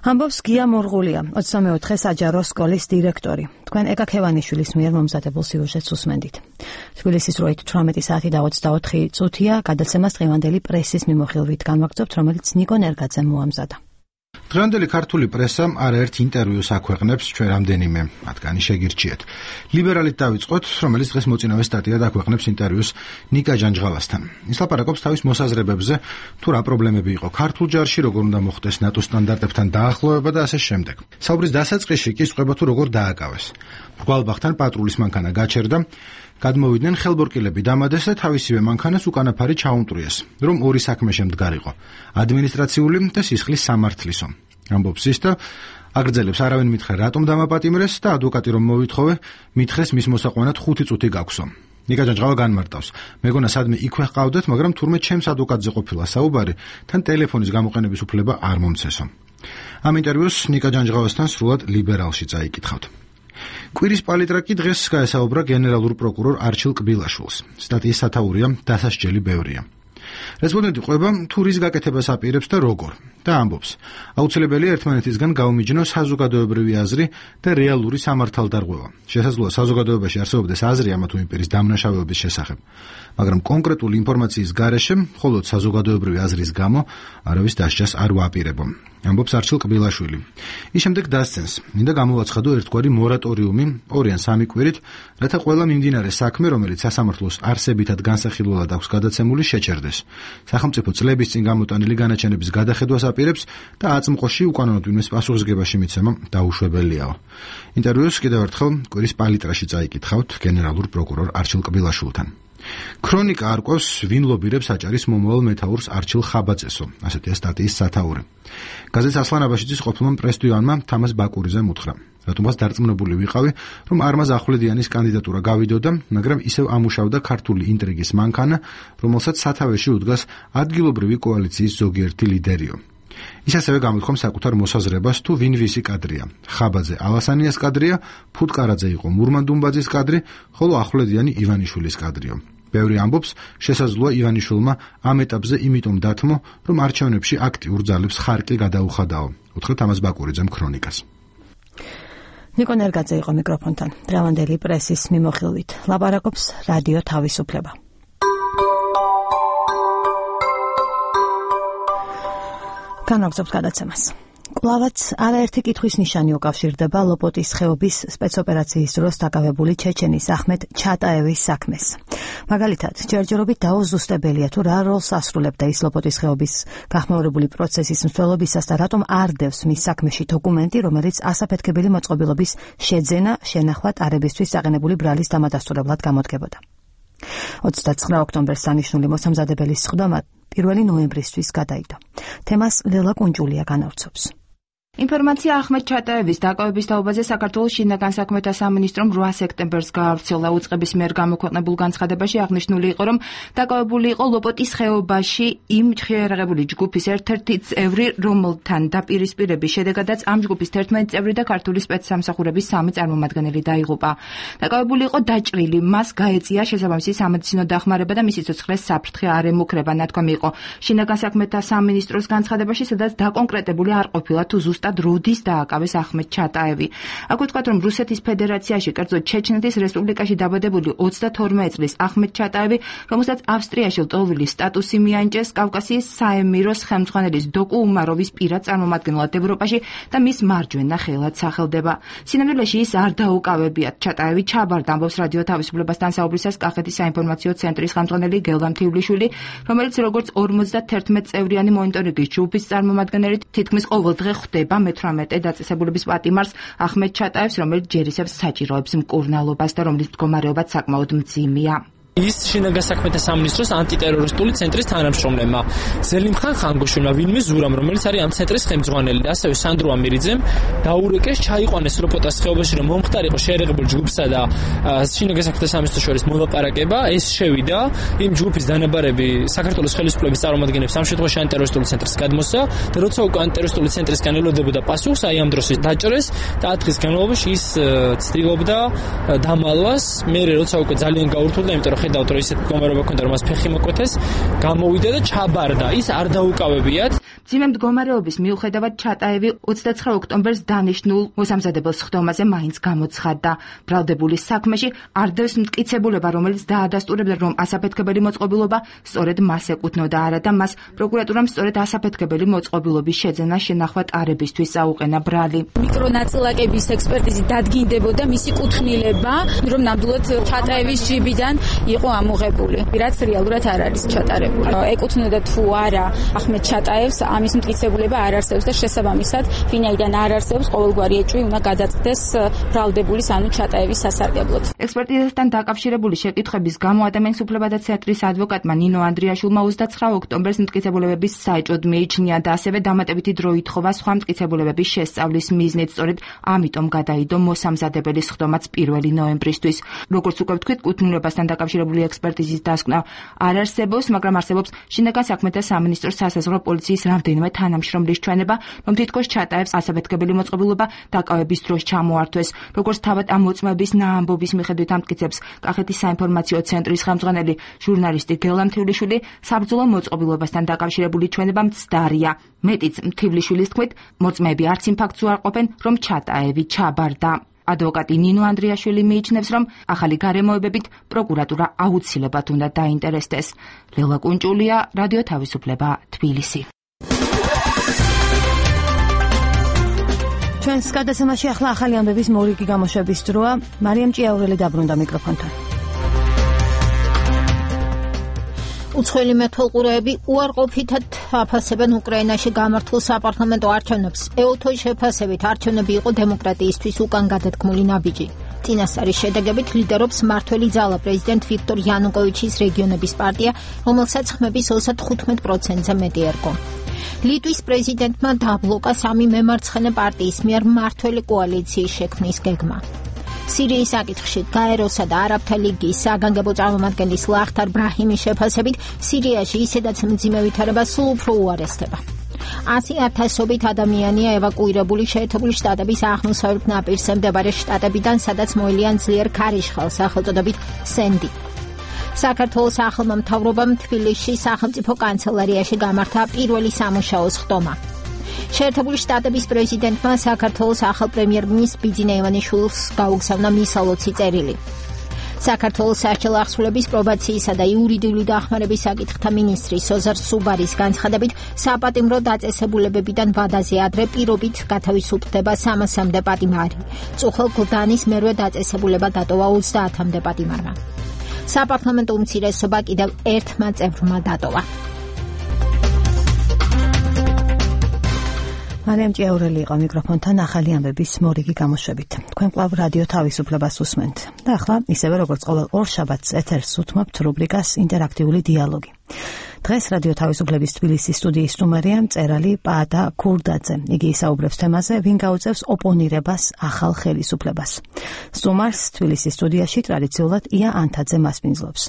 ამბობს გია მორღულია, 24 საჯარო სკოლის დირექტორი. თქვენ ეკა ქევანიშვილის მიერ მომზადებულ სიუჟეტს უსმენდით. თბილისის დროით 18 საათი და 24 წუთია გადაცემას დღევანდელი პრესის მიმოხილვით განვაგრძობთ, რომელიც ნიკო ნერგაძემ მოამზადა. დღევანდელი ქართული პრესა არაერთ ინტერვიუს აქვეყნებს, ჩვენ რამდენიმე მათგანი შეგირჩიეთ. ლიბერალით დავიწყოთ, რომელიც დღეს მოწინავე სტატიად აქვეყნებს ინტერვიუს ნიკა ჯანჯღალასთან. ის ლაპარაკობს თავის მოსაზრებებზე, თუ რა პრობლემები იყო ქართულ ჯარში, როგორ უნდა მოხდეს ნატოს სტანდარტებთან დაახლოება და ასე შემდეგ. საუბრის დასაწყისში კი სწყება თუ როგორ დააკავეს. მრგვალბახთან პატრულის მანქანა გაჩერდა, გადმოვიდნენ ხელბორკილები დამადეს და თავისივე მანქანას უკანაფარი ჩაუმტვრიეს, რომ ორი საქმე შემდგარიყო: ადმინისტრაციული და სისხლის სამართლისო. ამბობს ის და აგრძელებს, არავინ მითხრა რატომ დამაპატიმრეს და ადვოკატი რომ მოვითხოვე, მითხრეს მის მოსაყვანად 5 წუთი გაქვსო. ნიკა ჯანჯღალა განმარტავს: მეგონა სადმე იქვე ჰყავდეთ, მაგრამ თურმე ჩემს ადვოკატზე ყოფილა საუბარი, თან ტელეფონის გამოყენების უფლება არ მომცესო. ამ ინტერვიუს ნიკა ჯანჯღალასთან სრულად ლიბერალში წაიკითხავთ. კვირის პალიტრაკი დღეს გაესაუბრა გენერალურ პროკურორ არჩილ კბილაშვილს. სტატიის სათაურია დასასჯელი ბევრია. რესპონდენტი ყვება თუ რის გაკეთებას აპირებს და როგორ და ამბობს: აუცილებელია ერთმანეთისგან გაუმიჯნოს საზოგადოებრივი აზრი და რეალური სამართალდარღვევა. შესაძლოა საზოგადოებაში არსებობდეს აზრი ამა თუ იმ პირის დამნაშავეობის შესახებ, მაგრამ კონკრეტული ინფორმაციის გარეშე მხოლოდ საზოგადოებრივი აზრის გამო არავის დასჯას არ ვაპირებო. ამბობს არჩილ კბილაშვილი. ის შემდეგ დასცენს, მინდა გამოვაცხადო ერთგვარი მორატორიუმი 2 ან 3 კვირით, რათა ყველა მიმდინარე საქმე, რომელიც სასამართლოს არსებითად განსახილველად აქვს გადაცემული, შეჩერდეს. სახელმწიფო წლების წინ გამოტანილი განაჩენების გადახედვას აპირებს და აწმყოში უკანონოდ ვინმეს პასუხისგებაში მიცემა დაუშვებელიაო. ინტერვიუს კიდევ ერთხელ კვირის პალიტრაში წაიკითხავთ გენერალურ პროკურორ არჩილ კბილაშვილთან. ქრონიკა არკვევს, ვინ ლობირებს აჭარის მომავალ მეთაურს არჩილ ხაბაძესო, ასეთია სტატიის სათაური. გაზეთ ასლან აბაშიძის ყოფილმა პრესდივანმა თამაზ ბაკურიძემ უთხრა, რატომაც დარწმუნებული ვიყავი, რომ არმაზ ახვლედიანის კანდიდატურა გავიდოდა, მაგრამ ისევ ამუშავდა ქართული ინტრიგის მანქანა, რომელსაც სათავეში უდგას ადგილობრივი კოალიციის ზოგიერთი ლიდერიო. ის ასევე გამოთქვამს საკუთარ მოსაზრებას, თუ ვინ ვისი კადრია. ხაბაძე ალასანიას კადრია, ფუტკარაძე იყო მურმან დუმბაძის კადრი, ხოლო ახვლედიანი ივანიშვილის კადრიო. ბევრი ამბობს, შესაძლოა ივანიშვილმა ამ ეტაპზე იმიტომ დათმო, რომ არჩევნებში აქტიურ ძალებს ხარკი გადაუხადაო. უთხრა თამაზ ბაკურიძემ ქრონიკას. ნიკო ნერგაძე იყო მიკროფონთან. დღევანდელი პრესის მიმოხილვით ლაპარაკობს რადიო თავისუფლება. განაგზობს გადაცემას. კვლავაც არაერთი კითხვის ნიშანი უკავშირდება ლოპოტის ხეობის სპეცოპერაციის დროს დაკავებული ჩეჩენის ახმედ ჩატაევის საქმეს. მაგალითად, ჯერჯერობით დაუზუსტებელია თუ რა როლს ასრულებდა ის ლოპოტის ხეობის გახმაურებული პროცესის მსვლელობისას და რატომ არ დევს მის საქმეში დოკუმენტი, რომელიც ასაფეთქებელი მოწყობილობის შეძენა, შენახვა ტარებისთვის საყენებული ბრალის დამადასტურებლად გამოდგებოდა. 29 ოქტომბერს დანიშნული მოსამზადებელი სხდომა 1 ნოემბრისთვის გადაიდო. თემას ლელა კუნჯულია განავრცობს. ინფორმაცია ახმედ ჩატაევის დაკავების თაობაზე საქართველოს შინაგან საქმეთა სამინისტრომ 8 სექტემბერს გაავრცელა. უწყების მიერ გამოქვეყნებულ განცხადებაში აღნიშნული იყო, რომ დაკავებული იყო ლოპოტის ხეობაში იმ შეიარაღებული ჯგუფის ერთ-ერთი წევრი, რომელთან დაპირისპირების შედეგადაც ამ ჯგუფის 11 წევრი და ქართული სპეცსამსახურების 3 წარმომადგენელი დაიღუპა. დაკავებული იყო დაჭრილი, მას გაეწია შესაბამისი სამედიცინო დახმარება და მისი სიცოცხლეს საფრთხე არ ემუქრება. ნათქვამი იყო შინაგან საქმეთა სამინისტროს განცხადებაში, სადაც დაკონკრეტებული არ ყოფილა თუ როდის დააკავეს ახმედ ჩატაევი. აქ ვთქვათ, რომ რუსეთის ფედერაციაში, კერძოდ ჩეჩნეთის რესპუბლიკაში დაბადებული 22 წლის ახმედ ჩატაევი, რომელსაც ავსტრიაში ლტოლვილის სტატუსი მიანიჭეს, კავკასიის საემიროს ხელმძღვანელის დოკუ უმაროვის პირად წარმომადგენლად ევროპაში და მის მარჯვენა ხელად სახელდება. სინამდვილეში ის არ დაუკავებიათ. ჩატაევი ჩაბარდა, ამბობს რადიო თავისუფლებასთან საუბრისას კახეთის საინფორმაციო ცენტრის ხელმძღვანელი გელდა მთივლიშვილი, რომელიც როგორც 51 წევრიანი მონიტორინგის ჯგუფის წარმომადგენელი თითქმის ყოველ დღე ხვდება მე-18 დაწესებულების პატიმარს ახმედ ჩატაევს, რომელიც ჯერისებს საჭიროებს მკურნალობას და რომლის მდგომარეობაც საკმაოდ მძიმეა. ის შინაგან საქმეთა სამინისტროს ანტიტერორისტული ცენტრის თანამშრომლებმა, ზელიმ ხანგოშვინმა, ვინმე ზურამ, რომელიც არის ამ ცენტრის ხელმძღვანელი, ასევე სანდრო ამირიძემ დაურეკეს, ჩაიყვანეს როპოტას ხეობაში, რომ მომხდარიყო შეერეღებულ ჯგუფსა და შინაგან საქმეთა სამინისტროს შორის მოლაპარაკება. ეს შევიდა იმ ჯგუფის დანაბარები საქართველოს ხელისუფლების წარმომადგენლებს ამ შემთხვევაში ანტიტერორისტული ცენტრის გადმოსა და როცა უკვე ანტიტერორისტული ცენტრისგან ელოდებოდა პასუხს, აი ამ დროს დაჭრეს და 10 დღის განმავლობაში ის ცდილობდა დამალვას. მე როცა უკვე ძალიან გაურთულდა, იმიტომ რომ ხედავთ რომ ისეთ მდგომარეობა ქონდა, რომ მას ფეხი მოკვეთეს, გამოვიდა და ჩაბარდა. ის არ დაუკავებიათ. მძიმე მდგომარეობის მიუხედავად ჩატაევი 29 ოქტომბერს დანიშნულ მოსამზადებელ სხდომაზე მაინც გამოცხადდა. ბრალდებულის საქმეში არ დევს მტკიცებულება, რომელიც დაადასტურებდა, რომ ასაფეთქებელი მოწყობილობა სწორედ მას ეკუთვნოდა, არა და მას პროკურატურამ სწორედ ასაფეთქებელი მოწყობილობის შეძენა შენახვა ტარებისთვის აუყენა ბრალი. მიკრონაწილაკების ექსპერტიზით დადგინდებოდა მისი კუთვნილება, რომ ნამდვილად ჩატაევის ჯიბიდან იყო ამოღებული, რაც რეალურად არ არის ჩატარებული. ეკუთვნოდა თუ არა ახმედ ჩატაევს, ამის მტკიცებულება არ არსებობს და შესაბამისად, ვინაიდან არ არსებობს, ყოველგვარი ეჭვი უნდა გადაწდეს ბრალდებულის ანუ ჩატაევის სასარგებლოდ. ექსპერტიზასთან დაკავშირებული შეკითხვების გამო ადამიანის უფლებათა ცენტრის ადვოკატმა ნინო ანდრიაშვილმა 29 ოქტომბერს მტკიცებულებების საეჭვოდ მიიჩნია და ასევე დამატებითი დრო ითხოვა სხვა მტკიცებულებების შესწავლის მიზნით, სწორედ ამიტომ გადაიდო მოსამზადებელი სხდომაც 1 ნოემბრისთვის. როგორც უკვე ვთქვით, კუთვნილებასთან დაკავშირებული ექსპერტიზის დასკვნა არ არსებობს, მაგრამ არსებობს შინაგან საქმეთა სამინისტროს სასაზღვრო პოლიციის რამდენიმე თანამშრომლის ჩვენება, რომ თითქოს ჩატაევს ასაფეთქებელი მოწყობილობა დაკავების დროს ჩამოართვეს. როგორც თავად ამ მოწმეების ნაამბობის მიხედვით ამტკიცებს კახეთის საინფორმაციო ცენტრის ხელმძღვანელი ჟურნალისტი გელა მთივლიშვილი, საბრძოლო მოწყობილობასთან დაკავშირებული ჩვენება მცდარია. მეტიც, მთივლიშვილის თქმით, მოწმეები არც იმ ფაქტს უარყოფენ, რომ ჩატაევი ჩაბარდა. ადვოკატი ნინო ანდრიაშვილი მიიჩნევს, რომ ახალი გარემოებებით პროკურატურა აუცილებლად უნდა დაინტერესდეს. ლელა კუნჭულია, რადიო თავისუფლება, თბილისი. ჩვენს გადაცემაში ახლა ახალი ამბების მორიგი გამოშვების დროა. მარიამ ჭიაურელი დაბრუნდა მიკროფონთან. უცხოელი მეთვალყურეები უარყოფითად აფასებენ უკრაინაში გამართულ საპარლამენტო არჩევნებს. ეუთოს შეფასებით არჩევნები იყო დემოკრატიისთვის უკან გადადგმული ნაბიჯი. წინასწარი შედეგებით ლიდერობს მმართველი ძალა პრეზიდენტ ვიქტორ იანუკოვიჩის რეგიონების პარტია, რომელსაც ხმების 35%-ზე მეტი ერგო. ლიტვის პრეზიდენტმა დაბლოკა 3 მემარცხენე პარტიის მიერ მმართველი კოალიციის შექმნის გეგმა. სირიის საკითხში გაეროსა და არაბთა ლიგის საგანგებო წარმომადგენლის ლახთარ ბრაჰიმის შეფასებით სირიაში ისედაც მძიმე ვითარება სულ უფრო უარესდება. 100,000-ობით ადამიანია ევაკუირებული შეერთებული შტატების აღმოსავლეთ ნაპირზე მდებარე შტატებიდან, სადაც მოელიან ძლიერ ქარიშხალს, სახელწოდებით სენდი. საქართველოს ახალმა მთავრობამ თბილისში სახელმწიფო კანცელარიაში გამართა პირველი სამუშაო სხდომა. შეერთებული შტატების პრეზიდენტმა საქართველოს ახალ პრემიერ-მინისტრ ბიძინა ივანიშვილს გაუგზავნა მისალოცი წერილი. საქართველოს საარჩევნო აღსრულების პრობაციისა და იურიდიული დახმარების საკითხთა მინისტრი სოზარ სუბარის განცხადებით, საპატიმრო დაწესებულებებიდან ვადაზე ადრე პირობით გათავისუფლდება 300-მდე პატიმარი. წუხელ გლდანის მერვე დაწესებულება დატოვა 30-მდე პატიმარმა. საპარლამენტო უმცირესობა კიდევ ერთმა წევრმა დატოვა. მარიამ ჭიაურელი იყო მიკროფონთან ახალი ამბების მორიგი გამოშვებით. თქვენ კვლავ რადიო თავისუფლებას უსმენთ. და ახლა ისევე როგორც ყოველ ორ შაბათს ეთერს უთმობთ რუბრიკას ინტერაქტიული დიალოგი. დღეს რადიო თავისუფლების თბილისის სტუდიის სტუმარია მწერალი პაატა ქურდაძე. იგი ისაუბრებს თემაზე, ვინ გაუწევს ოპონირებას ახალ ხელისუფლებას. სტუმარს თბილისის სტუდიაში ტრადიციულად ია ანთაძე მასპინძლობს.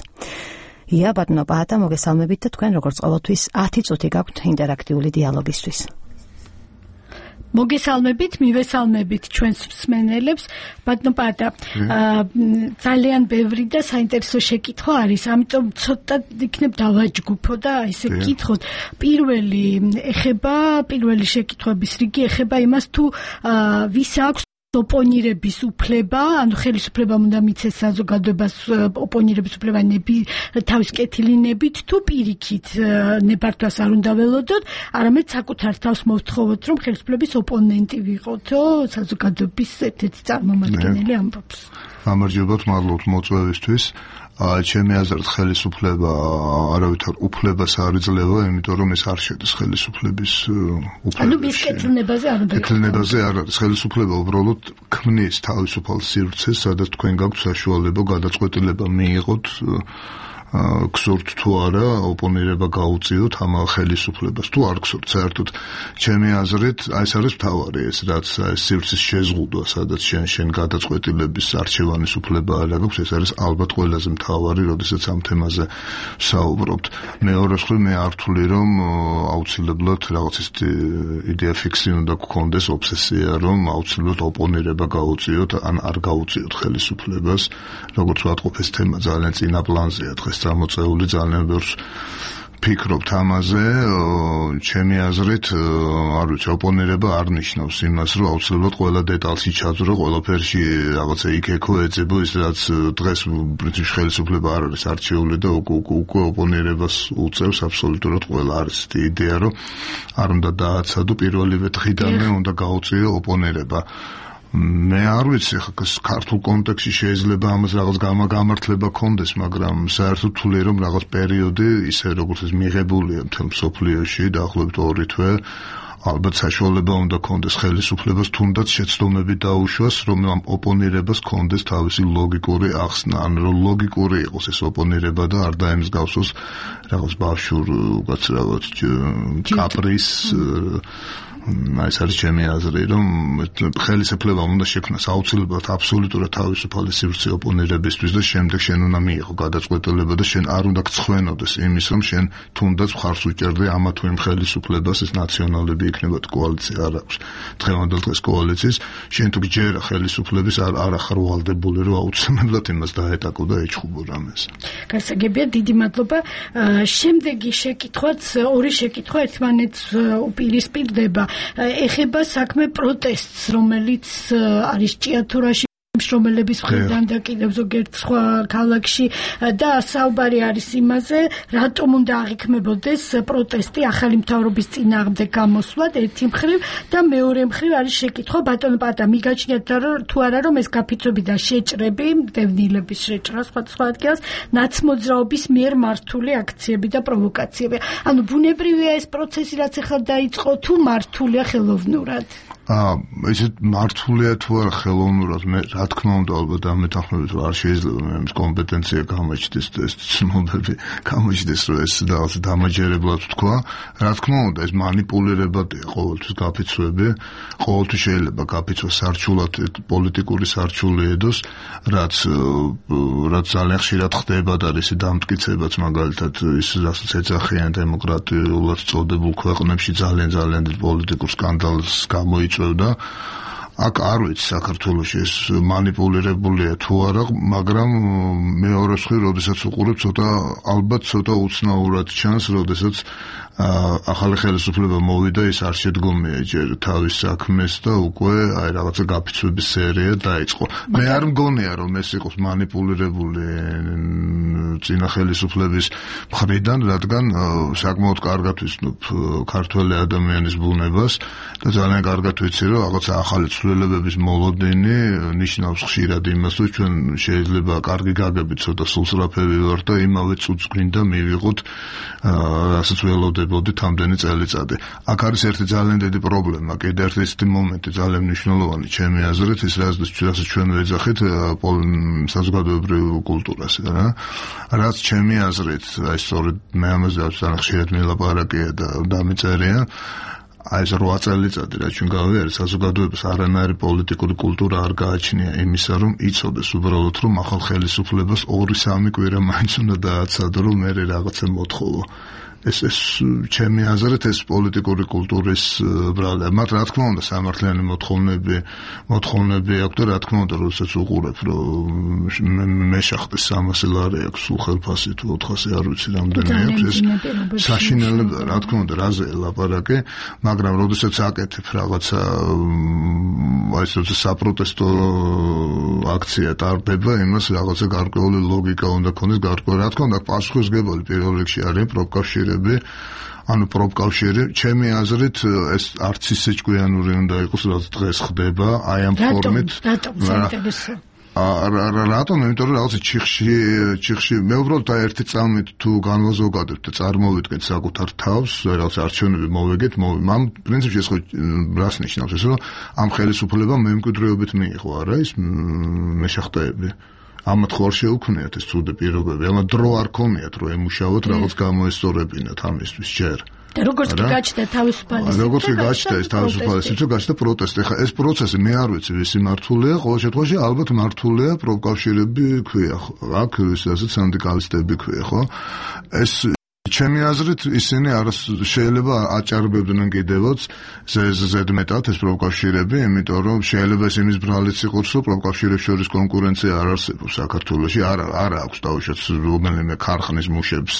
ია, ბატონო პაატა, მოგესალმებით და თქვენ როგორც ყოველთვის 10 წუთი გაქვთ ინტერაქტიული დიალოგისთვის. მოგესალმებით, მივესალმებით ჩვენს მსმენელებს. ბატონო პაატა, ძალიან ბევრი და საინტერესო შეკითხვა არის, ამიტომ ცოტა იქნებ დავაჯგუფო და ესე გითხოთ. პირველი შეკითხვების რიგი ეხება იმას, თუ ვის აქვს ოპონირების უფლება, ანუ ხელისუფლებამ უნდა მიცეს საზოგადოებას ოპონირების უფლება თავის კეთილინებით, თუ პირიქით ნებართვას არ უნდა ველოდოთ, არამედ საკუთარ თავს მოვთხოვოთ, რომ ხელისუფლების ოპონენტი ვიყოთო, საზოგადოების ერთ-ერთი წარმომადგენელი ამბობს. გამარჯობათ, მადლობთ მოწვევისთვის. ჩემი აზრით ხელისუფლება არავითარ უფლებას არ იძლევა, იმიტომ რომ ეს არ შედის ხელისუფლების უფლებებში. ანუ მის კეთილნებაზე არ უნდა. კეთილნებაზე არ არის. ხელისუფლება უბრალოდ ქმნის თავისუფალ სივრცეს, სადაც თქვენ გაქვთ საშუალება გადაწყვეტილება მიიღოთ გსურთ თუ არა ოპონირება გაუწიოთ ამ ხელისუფლებას თუ არ გსურთ საერთოდ ჩემი აზრით ეს არის მთავარი ეს რაც სივრცის შეზღუდვა სადაც შენ გადაწყვეტილების არჩევანის უფლება არ აქვს ეს არის ალბათ ყველაზე მთავარი როდესაც ამ თემაზე საუბრობთ მეორე მხრივ მე არ ვთვლი რომ აუცილებლად რაღაც ის იდეა ფიქსი უნდა გქონდეს ობსესია რომ აუცილებლად ოპონირება გაუწიოთ ან არ გაუწიოთ ხელისუფლებას როგორც ვატყობ ეს თემა ძალიან წინა პლანზეა დღეს გამოწეული ძალიან ბევრს ფიქრობთ ამაზე ჩემი აზრით არ ვიცი ოპონირება არ ნიშნავს იმას რომ აუცილებლად ყველა დეტალში ჩაძრო ყველაფერში რაღაცა იქ-ექო ეძებო ის რაც დღეს ბრიტანეთის ხელისუფლება არ არის არჩეული და უკვე ოპონირებას უწევს აბსოლუტურად ყველა არის იდეა რომ არ უნდა დააცადო პირველივე დღიდანვე უნდა გაუწიო ოპონირება მე არ ვიცი ხა ქართულ კონტექსტში შეიძლება ამას რაღაც გამართლება კონდეს მაგრამ საერთოდ თვლი რომ რაღაც პერიოდი ისე როგორც ეს მიღებულია მთელ მსოფლიოში დაახლოებით 2 თვე ალბათ საშუალება უნდა კონდეს ხელისუფლებას თუნდაც შეცდომები დაუშვას რომ ამ ოპონირებას კონდეს თავისი ლოგიკური ახსნა ან რომ ლოგიკური იყოს ეს ოპონირება და არ დაემსგავსოს რაღაც ბავშვურ უკაცრავად კაპრის ეს არის ჩემი აზრი რომ ხელისუფლებამ უნდა შექმნას აუცილებლად აბსოლუტურად თავისუფალი სივრცე ოპონირებისთვის და შემდეგ შენ უნდა მიიღო გადაწყვეტილება და შენ არ უნდა გცხვენოდეს იმის რომ შენ თუნდაც მხარს უჭერდე ამა თუ იმ ხელისუფლებას ეს ნაციონალები იქნება კოალიცია არ აქვს დღევანდელ დღეს კოალიციის შენ თუ გჯერა ხელისუფლების არ ახარ ვალდებული რომ აუცილებლად იმას დაეტაკო და ეჩხუბო რამეს გასაგებია დიდი მადლობა შემდეგი შეკითხვაც ორი შეკითხვა ერთმანეთს უპირისპირდება ეხება საქმე პროტესტს, რომელიც არის ჭიათურაში მშრომელების მხრიდან და კიდევ ზოგიერთ სხვა ქალაქში და საუბარი არის იმაზე, რატომ უნდა აღიქმებოდეს პროტესტი ახალი მთავრობის წინააღმდეგ გამოსვლად ერთი მხრივ და მეორე მხრივ არის შეკითხვა ბატონო პატა მიგაჩნიათ თუ არა რომ ეს გაფიცვები და შეჭრები, დევნილების შეჭრა სხვა ადგილას ნაცმოძრაობის მიერ მართული აქციები და პროვოკაციები. ანუ ბუნებრივია ეს პროცესი რაც ახლა დაიწყო თუ მართულია ხელოვნურად? ისე მართულია თუ არა ხელოვნურად მე რა თქმა უნდა ალბათ ამ მეთანხმებით რომ არ შეიძლება მე მის კომპეტენცია გამოჩნდეს ეს ცნობები გამოჩნდეს რომ ეს რაღაც დამაჯერებლად თქვა რა თქმა უნდა ეს манипуლირებადია ყოველთვის გაფიცვები ყოველთვის შეიძლება გაფიცვა სარჩულად პოლიტიკური სარჩული ედოს რაც ძალიან ხშირად ხდება და ისე დამტკიცებაც მაგალითად ის რასაც ეძახიან დემოკრატიულად წოდებულ ქვეყნებში ძალიან პოლიტიკურ სკანდალს გამოიწვევს და აქ არ ვიცი საქართველოში ეს манипуლირებულია თუ არა, მაგრამ მეორე მხრივ, როდესაც უყურებ, ალბათ ცოტა უცნაურად ჩანს, როდესაც ახალი ხელისუფლება მოვიდა, ის არ შედგომია ჯერ თავის საქმეს და უკვე აი რაღაცა გაფიცვების სერია დაიწყო. მე არ მგონია, რომ ეს იყოს манипуლირებული წინა ხელისუფლების მხრიდან, რადგან საკმაოდ კარგად ვიცნობ ქართველი ადამიანის ბუნებას და ძალიან კარგად ვიცი, რომ რაღაცა ახალი ცვლილებების მოლოდინი ნიშნავს ხშირად იმას, რომ ჩვენ შეიძლება კარგი გაგებით ცოტა სულსრაფები ვარ და იმავე წუთს გვინდა მივიღოთ რასაც ველოდებოდით ამდენი წელიწადი. აქ არის ერთი ძალიან დიდი პრობლემა, კიდე ერთი მომენტი ძალიან მნიშვნელოვანი ჩემი აზრით, ის რასაც ჩვენ ვეძახით საზოგადოებრივ კულტურას, რა. რაც ჩემი აზრით, აი სწორედ მე ამაზე ძალიან ხშირად მილაპარაკია და დამიწერია აი ეს 8 წელიწადი რაც ჩვენ გავიარეთ საზოგადოებას არანაირი პოლიტიკური კულტურა არ გააჩნია იმისა რომ იცოდეს უბრალოდ რომ ახალ ხელისუფლებას 2-3 კვირა მაინც უნდა დააცადო რომ მე რაღაცა მოთხოვო ეს ჩემი აზრით ეს პოლიტიკური კულტურის ბრალია მათ რა თქმა უნდა სამართლიანი მოთხოვნები აქვს და რა თქმა უნდა როდესაც უყურებ რომ მე შახტის 300 ლარი აქვს სულ ხელფასი თუ 400 არ ვიცი რამდენი აქვს ეს საშინელებაა რა თქმა უნდა რაზე ლაპარაკი მაგრამ როდესაც აკეთებ რაღაცა აი ეს საპროტესტო აქცია ტარდება იმას რაღაცა გარკვეული ლოგიკა უნდა ქონდეს გარკვეული რა თქმა უნდა პასუხისმგებელი პირველ რიგში არის პროფკავშირი ანუ პროფკავშირი ჩემი აზრით ეს არც ისე ჭკვიანური უნდა იყოს რაც დღეს ხდება აი ამ ფორმით რატომ? იმიტომ რომ რაღაცა ჩიხში მე უბრალოდ ერთი წამით თუ განვაზოგადებთ და წარმოვიდგეთ საკუთარ თავს, რაღაც არჩევნები მოვეგეთ, ამ პრინციპში ეს ხო რას ნიშნავს? ეს რომ ამ ხელისუფლებამ მემკვიდრეობით მიიღო არა ის მეშახტეები. ამათ ხო არ შეუქმნიათ ეს ცუდი პირობები, ამათ დრო არ ქონიათ რომ ემუშაოთ რაღაც გამოესწორებინათ ამისთვის ჯერ. და როგორც კი გაჩნდა თავისუფალი როგორც კი გაჩნდა ეს თავისუფალი სივრცე, გაჩნდა პროტესტი. ეხლა ეს პროცესი მე არ ვიცი ვისი მართულია, ყოველ შემთხვევაში ალბათ მართულია პროფკავშირები ქვია, აქ ისედაც სინდიკალისტები ქვია, ხო? ეს ჩემი აზრით ისინი შეიძლება აჭარბებდნენ კიდევაც ზედმეტად ეს პროფკავშირები, იმიტომ რომ შეიძლება ეს იმის ბრალიც იყოს, რომ პროფკავშირებს შორის კონკურენცია არ არსებობს საქართველოში, არ აქვს დაუშვათ რომელიმე ქარხნის მუშებს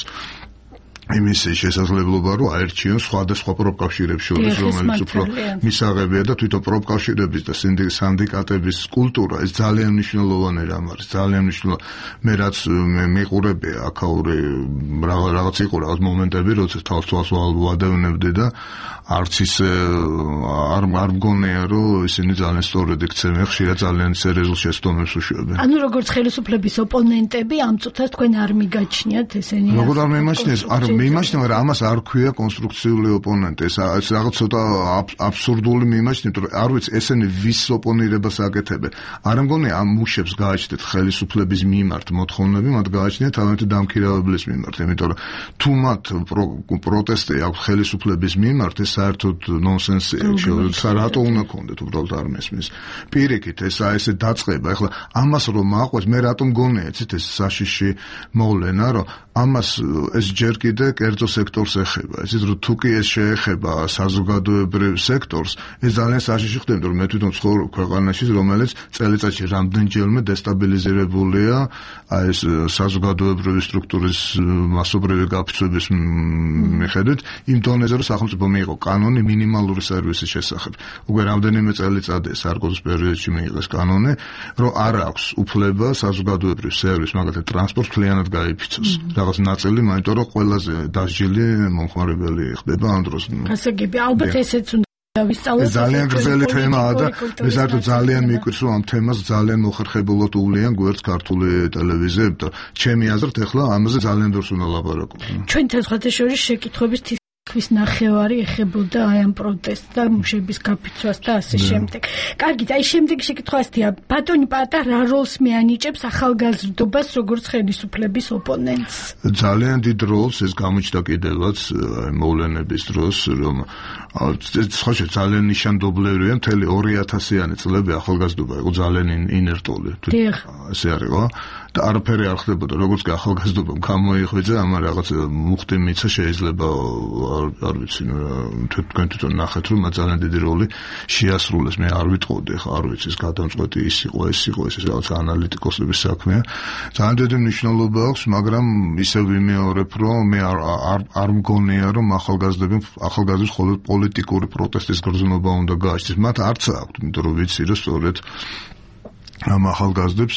იმის შესაძლებლობა რომ აერჩიონ სხვადასხვა პროფკავშირებს შორის, რომელიც უფრო მისაღებია და თვითონ პროფკავშირების და სინდიკატების კულტურა ეს ძალიან მნიშვნელოვანი რამ არის, ძალიან მნიშვნელოვანი. მე რაც მიყურებია აქაური რაღაც იყო რაღაც მომენტები, როცა თავს ვადევნებდი და არც ისე არ მგონია რომ ისინი ძალიან სწორად იქცევენ, ხშირად ძალიან სერიოზულ შეცდომებს უშვებენ. ანუ როგორც ხელისუფლების ოპონენტები ამ წუთას თქვენ არ მიგაჩნიათ ესენი? როგორ არ მიმაჩნიეს? არ მიმაჩნია, მაგრამ ამას არ ქვია კონსტრუქციული ოპონენტი. ეს რაღაც ცოტა აბსურდული მიმაჩნია, რომ არ ვიცი ესენი ვის ოპონირებას აკეთებენ. არ მგონია ამ მუშებს გააჩნდეთ ხელისუფლების მიმართ მოთხოვნები, მათ გააჩნიათ თავიანთი დამქირავებლის მიმართ, იმიტომ რომ თუ მათ პროტესტი აქვს ხელისუფლების მიმართ, ეს საერთოდ ნონსენსია, რატო უნდა ქონდეთ, უბრალოდ არ მესმის. პირიქით ესე დაწყება, ეხლა ამას რომ აყვეს, მე რატომ მგონია, იცით ეს საშიში მოვლენა, რომ ამას ეს ჯერ კიდე კერძო სექტორს ეხება. იცით რომ თუ კი ეს შეეხება საზოგადოებრივ სექტორს, ეს ძალიან საშიში ხდება, რომ მე თვითონ ცხოვრობ ქვეყანაში, რომელიც წელიწადში რამდენჯერმე დესტაბილიზირებულია ეს საზოგადოებრივი სტრუქტურის მასობრივი გაფიცვების მიხედვით, იმ დონეზე რომ სახელმწიფო მიიღო კანონი მინიმალური სერვისის შესახებ. უკვე რამდენიმე წელიწადია სარკოზის პერიოდში მიიღეს კანონი, რომ არ აქვს უფლება საზოგადოებრივ სერვისს, მაგალითად ტრანსპორტს მთლიანად გაიფიცოს. რაღაც ნაწილი, იმიტომ რომ ყველაზე დასჯილი მომხმარებელი ხდება ამ დროს. გასაგები, ალბათ ესეც უნდა ვისწავლოთ. ძალიან გრძელი თემაა და მე საერთოდ ძალიან მიკვირს, რომ ამ თემას ძალიან მოხერხებულად უვლიან გვერდს ქართული ტელევიზიები და ჩემი აზრით ახლა ამაზე ძალიან ბევრს უნდა ლაპარაკობთ. ჩვენთან სხვათა შორის შეკითხვების ქვის ნახევარი ეხებოდა აი ამ პროტესტს და მუშების გაფიცვას და ასე შემდეგ. კარგით, აი შემდეგი შეკითხვა ასეთია, ბატონი პატა რა როლს მეანიჭებს ახალგაზრდობას როგორც ხელისუფლების ოპონენტს? ძალიან დიდ როლს ეს გამოჩნდა კიდევაც მოვლენების დროს, რომ სხვა ძალიან ნიშანდობლივია, მთელი 2000-იანი წლები ახალგაზრდობა იყო ძალიან ინერტული. ესე არის, ხო? და არაფერი არ ხდებოდა, როგორც კი ახალგაზრდობამ გამოიხვიძა, ამან რაღაც მუხტი მიცა შეიძლება არ ვიცი, თქვენ თვითონ ნახეთ, რომ ძალიან დიდი როლი შეასრულეს. მე არ ვიტყოდი, ხა არ ვიცი, ეს გადამწყვეტი ის იყო, ეს რაღაც ანალიტიკოსების საქმეა. ძალიან დიდი მნიშვნელობა აქვს, მაგრამ ისევ ვიმეორებ, რომ მე არ მგონია, რომ ახალგაზრდებს მხოლოდ პოლიტიკური პროტესტის გრძნობა უნდა გააჩნდეს. მათ არც აქვთ, იმიტომ რომ ვიცი, რომ სწორედ ამ ახალგაზრდებს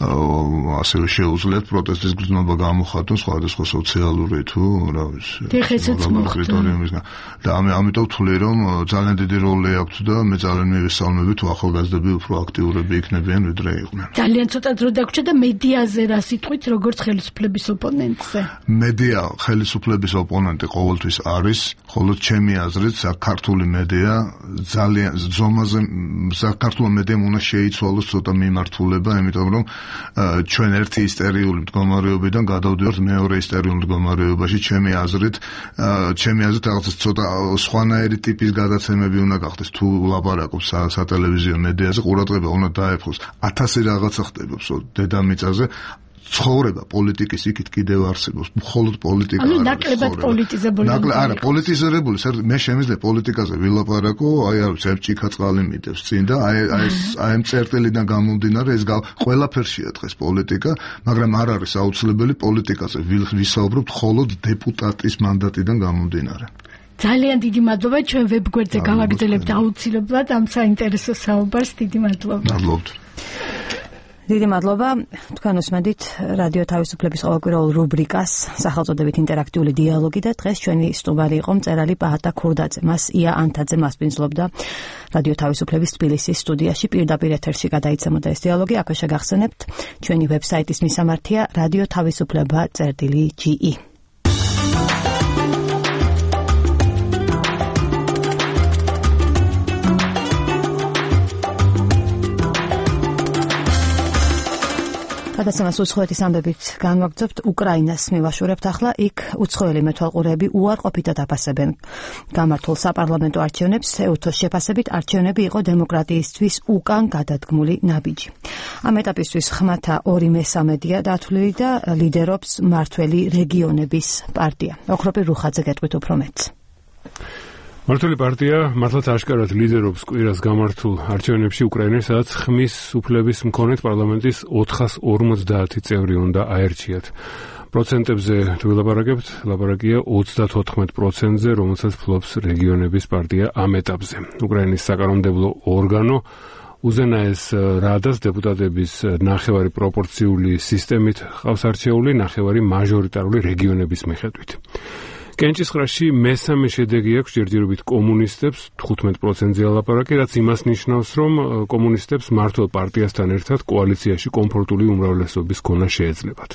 ასევე შეუძლიათ პროტესტის გრძნობა გამოხატონ სხვადასხვა სოციალური თუ რა ვიცი კრიტერიუმისგან და ამიტომ ვთვლი რომ ძალიან დიდი როლი აქვს და მე ძალიან მივესალმები თუ ახალგაზრდები უფრო აქტიურები იქნებიან ვიდრე იყვნენ. ძალიან ცოტა დრო დაგვრჩა და მედიაზე რა სიტყვით როგორც ხელისუფლების ოპონენტზე? მედია ხელისუფლების ოპონენტი ყოველთვის არის, ხოლო ჩემი აზრით საქართველოს მედია ძალიან ზომაზე საქართველოს მედიამ უნდა შეიცვალოს ცოტა მიმართულება, იმიტომ რომ ჩვენ ერთი ისტერიული მდგომარეობიდან გადავდივართ მეორე ისტერიულ მდგომარეობაში. ჩემი აზრით რაღაც ცოტა სხვანაირი ტიპის გადაცემები უნდა გახდეს. თუ ლაპარაკობს სატელევიზიო მედიაზე, ყურადღება უნდა დაეფხოს 1000 რაღაცა ხდება დედამიწაზე. ცხოვრება პოლიტიკის იქით კიდევ არსებობს, მხოლოდ პოლიტიკა არის. ანუ ნაკლებად პოლიტიზებული. არა, პოლიტიზებული, მე შემიძლია პოლიტიკაზე ვილაპარაკო, აი არ ვიცი, ჭიქა წყალი მიტევს წინ და აი ამ წერტილიდან გამომდინარე ეს ყველაფერშია დღეს პოლიტიკა, მაგრამ არ არის აუცილებელი პოლიტიკაზე ვისაუბროთ მხოლოდ დეპუტატის მანდატიდან გამომდინარე. ძალიან დიდი მადლობა, ჩვენ ვებგვერდზე გავაგრძელებთ აუცილებლად ამ საინტერესო საუბარს. დიდი მადლობა. მადლობთ. დიდი მადლობა. თქვენ უსმენთ რადიო თავისუფლების ყოველკვირეულ რუბრიკას სახელწოდებით ინტერაქტიული დიალოგი და დღეს ჩვენი სტუმარი იყო მწერალი პაატა ქურდაძე. მას ია ანთაძე მასპინძლობდა რადიო თავისუფლების თბილისის სტუდიაში პირდაპირ ეთერში გადაიცემოდა ეს დიალოგი. აქვე შეგახსენებთ ჩვენი ვებსაიტის მისამართია radioთავისუფლება.ge. გადაცემას უცხოეთის ამბებით განვაგრძობთ. უკრაინას მივაშურებთ ახლა. იქ უცხოელი მეთვალყურეები უარყოფითად აფასებენ გამართულ საპარლამენტო არჩევნებს. ეუთოს შეფასებით არჩევნები იყო დემოკრატიისთვის უკან გადადგმული ნაბიჯი. ამ ეტაპისთვის ხმათა 2/3-ია დათვლილი და ლიდერობს მართველი რეგიონების პარტია. ოქროპირ რუხაძე გეტყვით უფრო მეტს. მართალი პარტია მართლაც აშკარად ლიდერობს კვირას გამართულ არჩევნებში უკრაინაში, სადაც ხმის უფლების მქონეთ პარლამენტის 450 წევრი უნდა აერჩიათ. პროცენტებზე თუ ვილაპარაკებთ, ლაპარაკია 34%-ზე, რომელსაც ფლობს რეგიონების პარტია ამ ეტაპზე. უკრაინის საკანონმდებლო ორგანო უზენაეს რადას დეპუტატების ნახევარი პროპორციული სისტემით ყავს არჩეული, ნახევარი მაჟორიტარული რეგიონების მიხედვით. კენჭისყრაში მესამე შედეგი აქვს ჯერჯერობით კომუნისტებს 15%-ზე ლაპარაკი, რაც იმას ნიშნავს, რომ კომუნისტებს მართლ პარტიასთან ერთად კოალიციაში კომფორტული უმრავლესობის ქონა შეეძლებათ.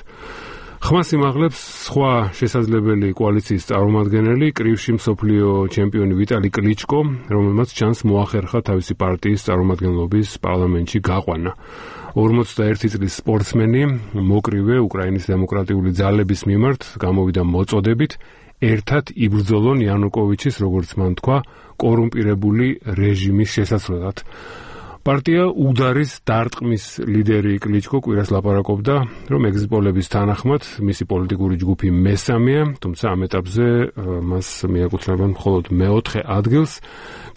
ხმას იმაღლებს სხვა შესაძლებელი კოალიციის წარმომადგენელი, კრივში მსოფლიო ჩემპიონი ვიტალი კლიჩკო, რომელმაც ჩანს მოახერხა თავისი პარტიის წარმომადგენლობის პარლამენტში გაყვანა. 41 წლის სპორტსმენი მოკრივე უკრაინის დემოკრატიული ძალების მიმართ გამოვიდა მოწოდებით ერთად იბრძოლონ იანუკოვიჩის, როგორც მან თქვა, კორუმპირებული რეჟიმის შესაცვლელად. პარტია უდარის დარტყმის ლიდერი კლიჩკო კვირას ლაპარაკობდა, რომ ეგზიტ პოლების თანახმად მისი პოლიტიკური ჯგუფი მესამეა, თუმცა ამ ეტაპზე მას მიაკუთვნებენ მხოლოდ მეოთხე ადგილს.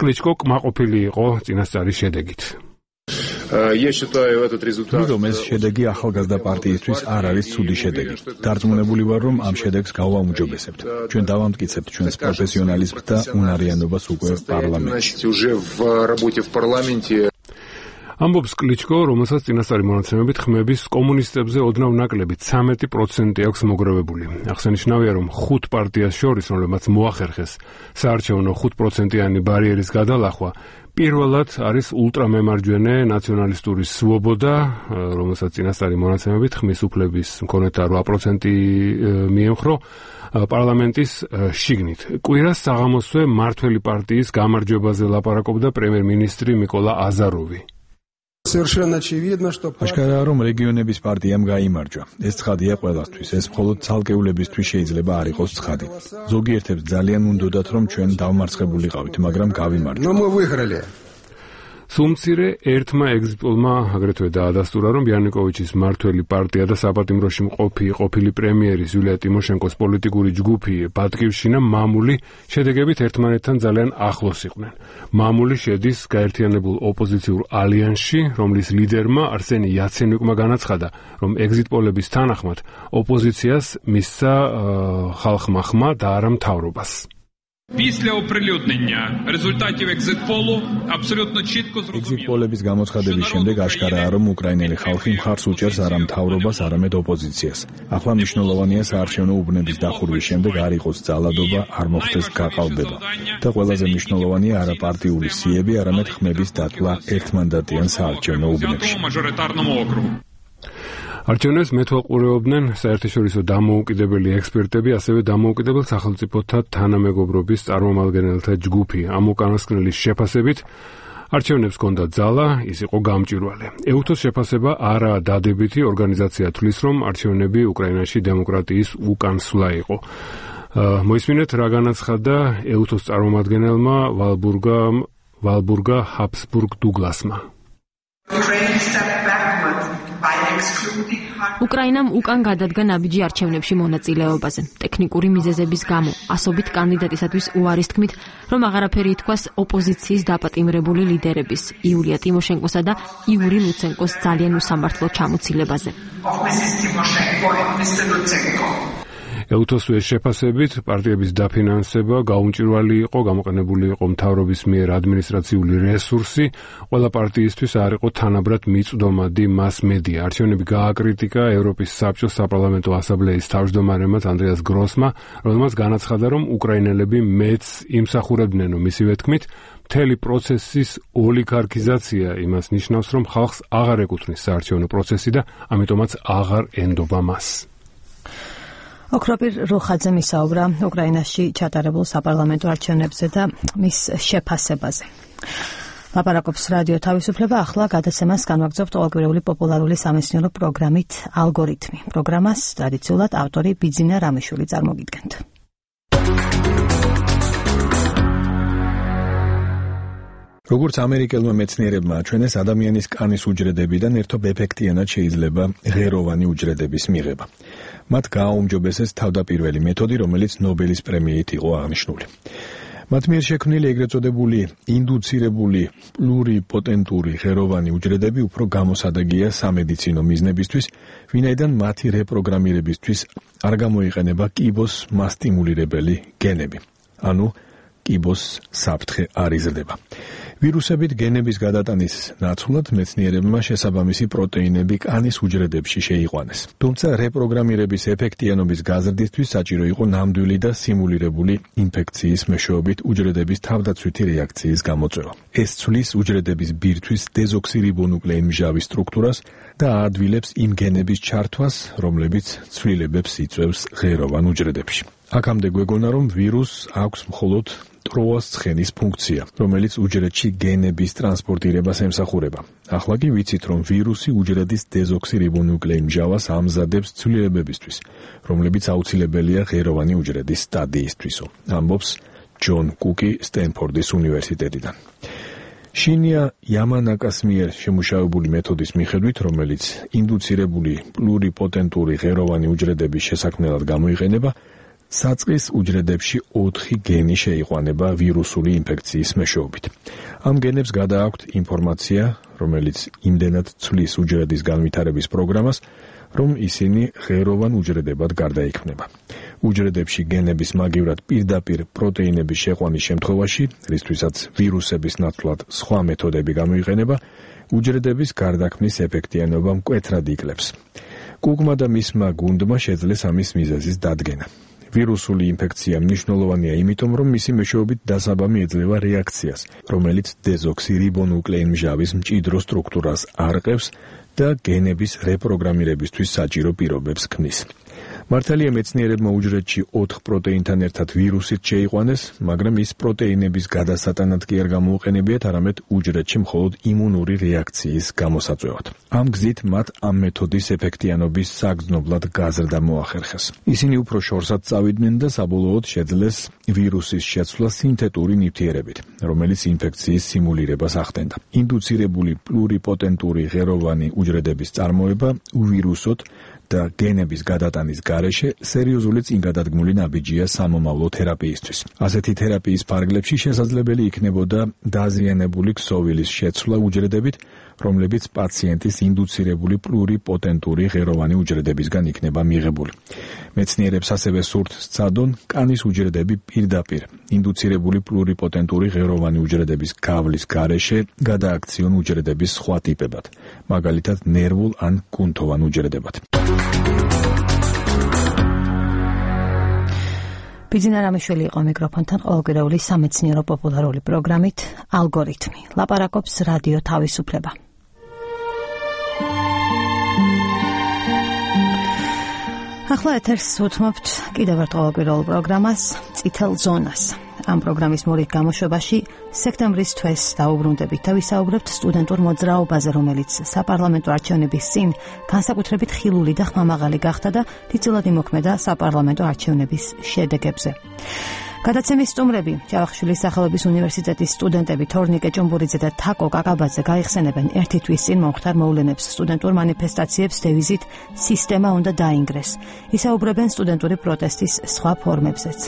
კლიჩკო კმაყოფილი იყო წინასწარი შედეგით. ვიდრე ეს შედეგი ახალგაზრდა პარტიისთვის არ არის ცუდი შედეგი. დარწმუნებული ვარ, რომ ამ შედეგს გავაუმჯობესებთ. ჩვენ დავამტკიცებთ ჩვენს პროფესიონალიზმს და უნარიანობას უკვე პარლამენტში. ამბობს კლიჩკო, რომელსაც წინასწარი მონაცემებით ხმების კომუნისტებზე ოდნავ ნაკლები 13% აქვს მოგროვებული. აღსანიშნავია, რომ 5 პარტიას შორის, რომლებმაც მოახერხეს საარჩევნო 5%-იანი ბარიერის გადალახვა, პირველად არის ულტრამემარჯვენე ნაციონალისტური სვობოდა, რომელსაც წინასწარი მონაცემებით ხმის უფლების მქონეთა 8% მიემხრო პარლამენტის შიგნით. კვირას საღამოსვე მართველი პარტიის გამარჯვებაზე ლაპარაკობდა პრემიერ-მინისტრი მიკოლა აზაროვი. აშკარაა, რომ რეგიონების პარტიამ გაიმარჯვა. ეს ცხადია ყველასთვის. ეს მხოლოდ ცალკეულებისთვის შეიძლება არ იყოს ცხადი. ზოგიერთებს ძალიან უნდოდათ, რომ ჩვენ დავმარცხებულიყავით, მაგრამ გავიმარჯვეთ. სუმცირე ერთმა ეგზიტ-პოლმა აგრეთვე დაადასტურა, რომ იანუკოვიჩის მართველი პარტია და საპატიმროში ყოფილი პრემიერის იულია ტიმოშენკოს პოლიტიკური ჯგუფი ბატკივშინა მამული შედეგებით ერთმანეთთან ძალიან ახლოს იყვნენ. მამული შედის გაერთიანებულ ოპოზიციურ ალიანსში, რომლის ლიდერმა არსენი იაცენიუკმა განაცხადა, რომ ეგზიტ-პოლების თანახმად ოპოზიციას მისცა ხალხმა ხმა და არა მთავრობას. Після оприлюднення результатів екзит-полу абсолютно чітко зрозуміло. ეგზიტ-პოლების გამოცხადების შემდეგ აშკარაა, რომ უკრაინელი ხალხი მხარს უჭერს არა მთავრობას, არამედ ოპოზიციას. ახლა მნიშვნელოვანია საარჩევნო უბნების დახურვის შემდეგ არ იყოს ძალადობა, არ მოხდეს გაყალბება. და ყველაზე მნიშვნელოვანია არა პარტიული სიები, არამედ ხმების დათვლა ერთმანდატიან საარჩევნო უბნებში. არჩევნებს მეთვალყურეობდნენ საერთაშორისო დამოუკიდებელი ექსპერტები, ასევე დამოუკიდებელ სახელმწიფოთა თანამეგობრობის წარმომადგენელთა ჯგუფი. ამ უკანასკნელის შეფასებით არჩევნებს ჰქონდა ძალა, ის იყო გამჭვირვალე. ეუთოს შეფასება არაა დადებითი, ორგანიზაცია თვლის, რომ არჩევნები უკრაინაში დემოკრატიის უკანსვლა იყო. მოისმინეთ, რა განაცხადა ეუთოს წარმომადგენელმა ვალბურგა ჰაბსბურგ დუგლასმა. უკრაინამ უკან გადადგა ნაბიჯი არჩევნებში მონაწილეობაზე. ტექნიკური მიზეზების გამო ასობით კანდიდატისათვის უარის თქმით, რომ აღარაფერი ითქვას ოპოზიციის დაპატიმრებული ლიდერების იულია ტიმოშენკოსა და იური ლუცენკოს ძალიან უსამართლო ჩამოცილებაზე. ელუთოსუეს შეფასებით პარტიების დაფინანსება გაუმჭირვალი იყო, გამოყენებული იყო მთავრობის მიერ ადმინისტრაციული რესურსი, ყველა პარტიისთვის არ იყო თანაბრად მიწვდომადი მას-მედია. არჩევნები გააკრიტიკა ევროპის საბჭოს საპარლამენტო ასამბლეის თავმჯდომარემაც ანდრეას გროსმა, რომელმაც განაცხადა, რომ უკრაინელები მეც იმსახურებდნენ, რომ მისივე თქმით, მთელი პროცესის ოლიგარქიზაცია იმას ნიშნავს, რომ ხალხს აღარ ეკუთვნის საარჩევნო პროცესი და ამიტომაც აღარ ენდობა მას. ოქროპირ როხაძემ ისაუბრა უკრაინაში ჩატარებულ საპარლამენტო არჩევნებზე და მის შეფასებაზე. ლაპარაკობს რადიო თავისუფლება, ახლა გადაცემას განვაგრძობთ ყოველკვირეული პოპულარული სამეცნიერო პროგრამით ალგორითმი. პროგრამას ტრადიციულად ავტორი ბიძინა რამიშვილი წარმოგიდგენთ. როგორც ამერიკელმა მეცნიერებმა აჩვენეს, ადამიანის კანის უჯრედებიდან ერთობ ეფექტიანად შეიძლება ღეროვანი უჯრედების მიღება. მათ გააუმჯობესეს თავდაპირველი მეთოდი, რომელიც ნობელის პრემიით იყო აღნიშნული. მათ მიერ შექმნილი ეგრეთ წოდებული ინდუცირებული პლურიპოტენტური ღეროვანი უჯრედები უფრო გამოსადეგია სამედიცინო მიზნებისთვის, ვინაიდან მათი რეპროგრამირებისთვის არ გამოიყენება კიბოს მასტიმულირებელი გენები, ანუ კიბოს საფრთხე არ იზრდება. ვირუსებით გენების გადატანის ნაცვლად მეცნიერებმა შესაბამისი პროტეინები კანის უჯრედებში შეიყვანეს. თუმცა რეპროგრამირების ეფექტიანობის გაზრდისთვის საჭირო იყო ნამდვილი და სიმულირებული ინფექციის მეშვეობით უჯრედების თავდაცვითი რეაქციის გამოწვევა. ეს ცვლის უჯრედების ბირთვის დეზოქსირიბონუკლეინმჟავის სტრუქტურას და აადვილებს იმ გენების ჩართვას, რომლებიც ცვლილებებს იწვევს ღეროვან უჯრედებში. აქამდე გვეგონა, რომ ვირუსს აქვს მხოლოდ ტროას ცხენის ფუნქცია, რომელიც უჯრედში გენების ტრანსპორტირებას ემსახურება. ახლა კი ვიცით, რომ ვირუსი უჯრედის დეზოქსირიბონუკლეინმჟავას ამზადებს ცვლილებებისთვის, რომლებიც აუცილებელია ღეროვანი უჯრედის სტადიისთვისო, ამბობს ჯონ კუკი სტენფორდის უნივერსიტეტიდან. შინია იამანაკას მიერ შემუშავებული მეთოდის მიხედვით, რომელიც ინდუცირებული პლურიპოტენტური ღეროვანი უჯრედების შესაქმნელად გამოიყენება, საწყის უჯრედებში 4 გენი შეიყვანება ვირუსული ინფექციის მეშვეობით. ამ გენებს გადააქვთ ინფორმაცია, რომელიც იმდენად ცვლის უჯრედის განვითარების პროგრამას, რომ ისინი ღეროვან უჯრედებად გარდაიქმნება. უჯრედებში გენების მაგივრად პირდაპირ პროტეინების შეყვანის შემთხვევაში, რისთვისაც ვირუსების ნაცვლად სხვა მეთოდები გამოიყენება, უჯრედების გარდაქმნის ეფექტიანობა მკვეთრად იკლებს. კუკმა და მისმა გუნდმა შეძლეს ამის მიზეზის დადგენა. ვირუსული ინფექცია მნიშვნელოვანია იმიტომ, რომ მისი მეშვეობით დასაბამი ეძლევა რეაქციას, რომელიც დეზოქსირიბონუკლეინმჟავის მჭიდრო სტრუქტურას არყევს და გენების რეპროგრამირებისთვის საჭირო პირობებს ქმნის. მართალია მეცნიერებმა უჯრედში 4 პროტეინთან ერთად ვირუსით შეიყვანეს, მაგრამ ის პროტეინების გადასატანად კი არ გამოუყენებიათ, არამედ უჯრედში მხოლოდ იმუნური რეაქციის გამოსაწვევად. ამ გზით მათ ამ მეთოდის ეფექტიანობის საგრძნობლად გაზრდა მოახერხეს. ისინი უფრო შორსად წავიდნენ და საბოლოოდ შეძლეს ვირუსის შეცვლა სინთეტური ნივთიერებით, რომელიც ინფექციის სიმულირებას ახდენდა. ინდუცირებული პლურიპოტენტური ღეროვანი უჯრედების წარმოება უვირუსოთ და გენების გადატანის გარეშე სერიოზული წინგადადგმული ნაბიჯია სამომავლო თერაპიისთვის. ასეთი თერაპიის ფარგლებში შესაძლებელი იქნებოდა დაზიანებული ქსოვილის შეცვლა უჯრედებით, რომლებიც პაციენტის ინდუცირებული პლურიპოტენტური ღეროვანი უჯრედებისგან იქნება მიღებული. მეცნიერებს ასევე სურთ სცადონ კანის უჯრედები პირდაპირ ინდუცირებული პლურიპოტენტური ღეროვანი უჯრედების გავლის გარეშე გადააქციონ უჯრედების სხვა ტიპებად, მაგალითად ნერვულ ან კუნთოვან უჯრედებად. ბიძინა რამიშვილი იყო მიკროფონთან ყოველკვირეული სამეცნიერო პოპულარული პროგრამით ალგორითმი. ლაპარაკობს რადიო თავისუფლება. ახლა ეთერს უთმობთ კიდევ ერთ ყოველკვირეულ პროგრამას წითელ ზონას. ამ პროგრამის მორიგ გამოშვებაში სექტემბრის თვეს დაუბრუნდებით და ვისაუბრებთ სტუდენტურ მოძრაობაზე, რომელიც საპარლამენტო არჩევნების წინ განსაკუთრებით ხილული და ხმამაღალი გახდა და დიდწილად იმოქმედა საპარლამენტო არჩევნების შედეგებზე. გადაცემის სტუმრები, ჯავახიშვილის სახელობის უნივერსიტეტის სტუდენტები თორნიკე ჭუმბურიძე და თაკო კაკაბაძე გაიხსენებენ ერთი თვის წინ მომხდარ მოვლენებს სტუდენტურ მანიფესტაციებს დევიზით სისტემა უნდა დაინგრეს. ისაუბრებენ სტუდენტური პროტესტის სხვა ფორმებზეც.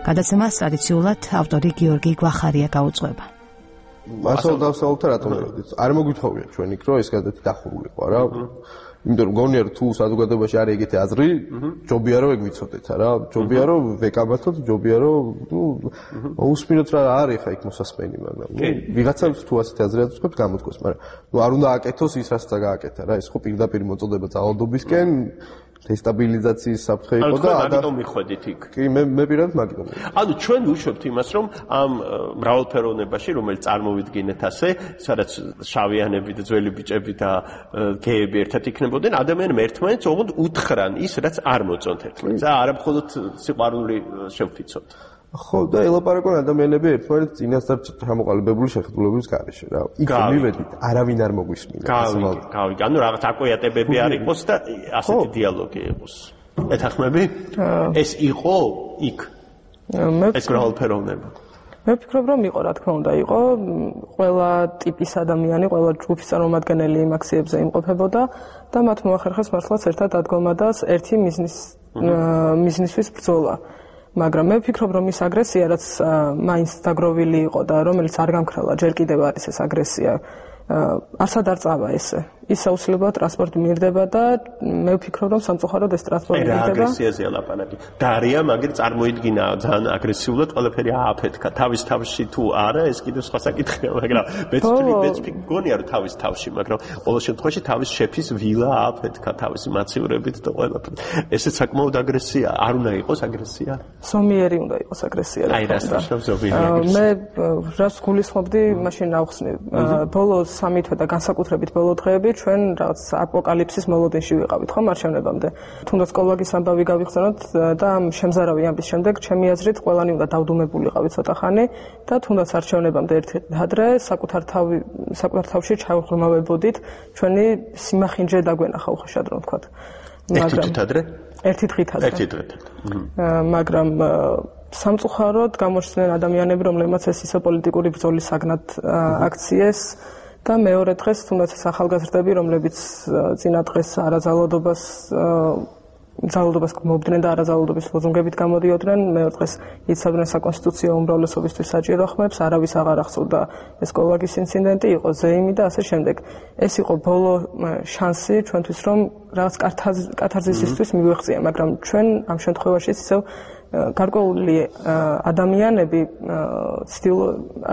გადაცემას ტრადიციულად ავტორი გიორგი გვახარია გაუძღვება. მასალ დავსაუბრეთ რატომ? არ მოგვითხოვია ჩვენ იქ რომ ეს გადაცემა დახურულიყო რა. იმიტომ რომ გონია რომ თუ საზოგადოებაში არის ეგეთი აზრი, ჯობია რომ ეგ ვიცოდეთ რა, ჯობია რომ ვეკამათოთ, ჯობია რომ მოусმინოთ რა არის ხა იქ მოსასმენი, მაგრამ ვიღაცებს თუ ასეთი აზრი აწყობს გამოთქვეს, მაგრამ არ უნდა აკეთოს ის რაც გააკეთა რა, ეს ხო პირდაპირ მოწოდება ძალადობისკენ დესტაბილიზაციის საფრთხე იყო და მაგიტომ მიხვედით იქ. კი, მე პირადად მაგიტომ. ანუ ჩვენ ვუშვებთ იმას, რომ ამ მრავალფეროვნებაში, რომელიც წარმოვიდგინეთ ასე, სადაც შავიანები და ძველი ბიჭები და გეები ერთად იქნებოდნენ, ადამიანები ერთმანეთს ოღონდ უთხრან ის, რაც არ მოწონთ ერთმანეთს. არა მხოლოდ სიყვარული შევფიცოთ. ხო, და ელაპარაკონ ადამიანები ერთმანეთს წინასწარ ჩამოყალიბებული შეხედულების გარეშე რა. იქ მივედით, არავინ არ მოგვისმინა. გავიგე. ანუ რაღაც აკვიატებები არ იყოს და ასეთი დიალოგი იყოს. ეთანხმები? ეს იყო იქ. ეს მრავალფეროვნება. მე ვფიქრობ, რომ იყო, რა თქმა უნდა, იყო ყველა ტიპის ადამიანი, ყველა ჯგუფის წარმომადგენელი იმ აქციებზე იმყოფებოდა და მათ მოახერხეს მართლაც ერთად დადგომა და ერთი მიზნისთვის ბრძოლა. მაგრამ მე ვფიქრობ, რომ ის აგრესია, რაც მაინც დაგროვილი იყო და რომელიც არ გამქრალა, ჯერ კიდევ არის ეს აგრესია, არსად არ წავა ესე. ის აუცილებლად ტრანსპორტი მირდება და მე ვფიქრობ, რომ სამწუხაროდ ეს ტრანსპორტი მირდება. რა აგრესიაზე ლაპარაკი? დარია, მაგრამ წარმოიდგინა ძალიან აგრესიულად, ყველაფერი ააფეთქა. თავის თავში თუ არა, ეს კიდევ სხვა საკითხია, მაგრამ მეც გონია რომ თავის თავში, მაგრამ ყოველ შემთხვევაში თავის შეფის ვილა ააფეთქა თავისი მაცივრებით და ყველაფერი. ესეც საკმაოდ აგრესია, არ უნდა იყოს აგრესია. ზომიერი უნდა იყოს აგრესია. აი რა სწორად ზომიერი. მე რას გულისხმობდი, მაშინ ავხსნი. ბოლო 3 თვე და განსაკუთრებით ბოლო დღეები ჩვენ რაღაც აპოკალიფსის მოლოდინში ვიყავით ხომ არჩევნებამდე. თუნდაც კოლვაგის ამბავი გავიხსენოთ და ამ შემზარავი ამბის შემდეგ ჩემი აზრით ყველანი უნდა დავდუმებულიყავი ცოტა ხანი და თუნდაც არჩევნებამდე ერთი ადრე საკუთარ თავში ჩავღრმავებოდით ჩვენი სიმახინჯე დაგვენახა უხეშად რომ ვთქვათ. ერთი დღით ადრე? ერთი დღით ადრე. ერთი დღით. მაგრამ სამწუხაროდ გამოჩნდნენ ადამიანები, რომლებმაც ეს ისო პოლიტიკური ბრძოლის საგნად აქციეს და მეორე დღეს თუნდაც ეს ახალგაზრდები, რომლებიც წინა დღეს ძალადობას მობდნენ და არაზალადობის ლოზუნგებით გამოდიოდნენ, მეორე დღეს იცავდნენ საკონსტიტუციო უმრავლესობისთვის საჭირო ხმებს, არავის აღარ ახსოვდა ეს კოლვაგის ინციდენტი, იყო ზეიმი და ასე შემდეგ. ეს იყო ბოლო შანსი ჩვენთვის, რომ რაღაც კათარზისისთვის მივიღწია, მაგრამ ჩვენ ამ შემთხვევაში ისევ გარკვეული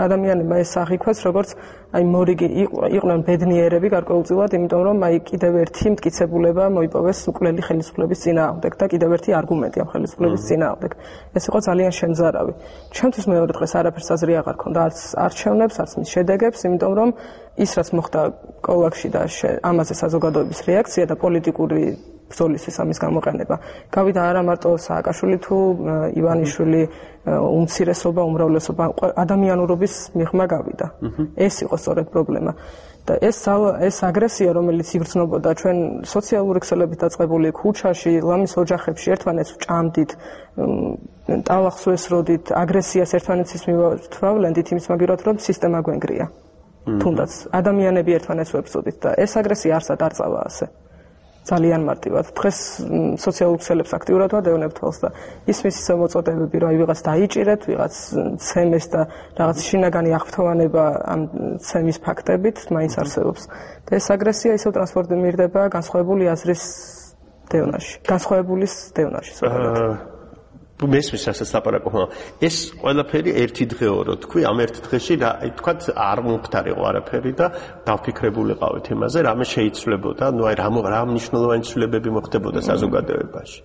ადამიანებმა ეს აღიქვეს, როგორც აი მორიგი იყვნენ ბედნიერები გარკვეულწილად, იმიტომ რომ აი კიდევ ერთი მტკიცებულება მოიპოვეს მკვლელი ხელისუფლების წინააღმდეგ და კიდევ ერთი არგუმენტი ამ ხელისუფლების წინააღმდეგ. ეს იყო ძალიან შემზარავი. ჩვენთვის მეორე დღეს არაფერს აზრი აღარ ქონდა, არც არჩევნებს, არც მის შედეგებს, იმიტომ რომ ის რაც მოხდა კოლვაგში და ამაზე საზოგადოების რეაქცია და პოლიტიკური ბრძოლისთვის ამის გამოყენება. გავიდა არა მარტო სააკაშვილი თუ ივანიშვილი, უმცირესობა, უმრავლესობა, ადამიანურობის მიღმა გავიდა. ეს იყო სწორედ პრობლემა. და ეს აგრესია, რომელიც იგრძნობოდა ჩვენ სოციალური ქსელებით დაწყებული ქუჩაში, ლამის ოჯახებში ერთმანეთს ვჭამდით, ტალახს ვესროდით, აგრესიას ერთმანეთის მივთვალენდით იმის მაგივრად, რომ სისტემა გვენგრია. თუნდაც ადამიანები ერთმანეთს ვებრძოდით და ეს აგრესია არსად არ წავა ასე. ძალიან მარტივად. დღეს სოციალურ ქსელებს აქტიურად ვადევნებ თვალს და ისმის ისე მოწოდებები, რომ აი ვიღაც დაიჭირეთ, ვიღაც ცემეს და რაღაც შინაგანი აღფრთოვანება ამ ცემის ფაქტებით მაინც არსებობს. და ეს აგრესია ისევ ტრანსპორტი მირდება განსხვავებული აზრის დევნაში. განსხვავებულის დევნაში. მესმის ასეც ლაპარაკობ. ეს ყველაფერი ერთი დღეო რო თქვი, ამ ერთ დღეში რა თქვათ არ მომხდარიყო არაფერი და დავფიქრებულიყავით იმაზე, რამე შეიცვლებოდა, ну აი რა მნიშვნელოვანი ცვლილებები მოხდებოდა საზოგადოებაში.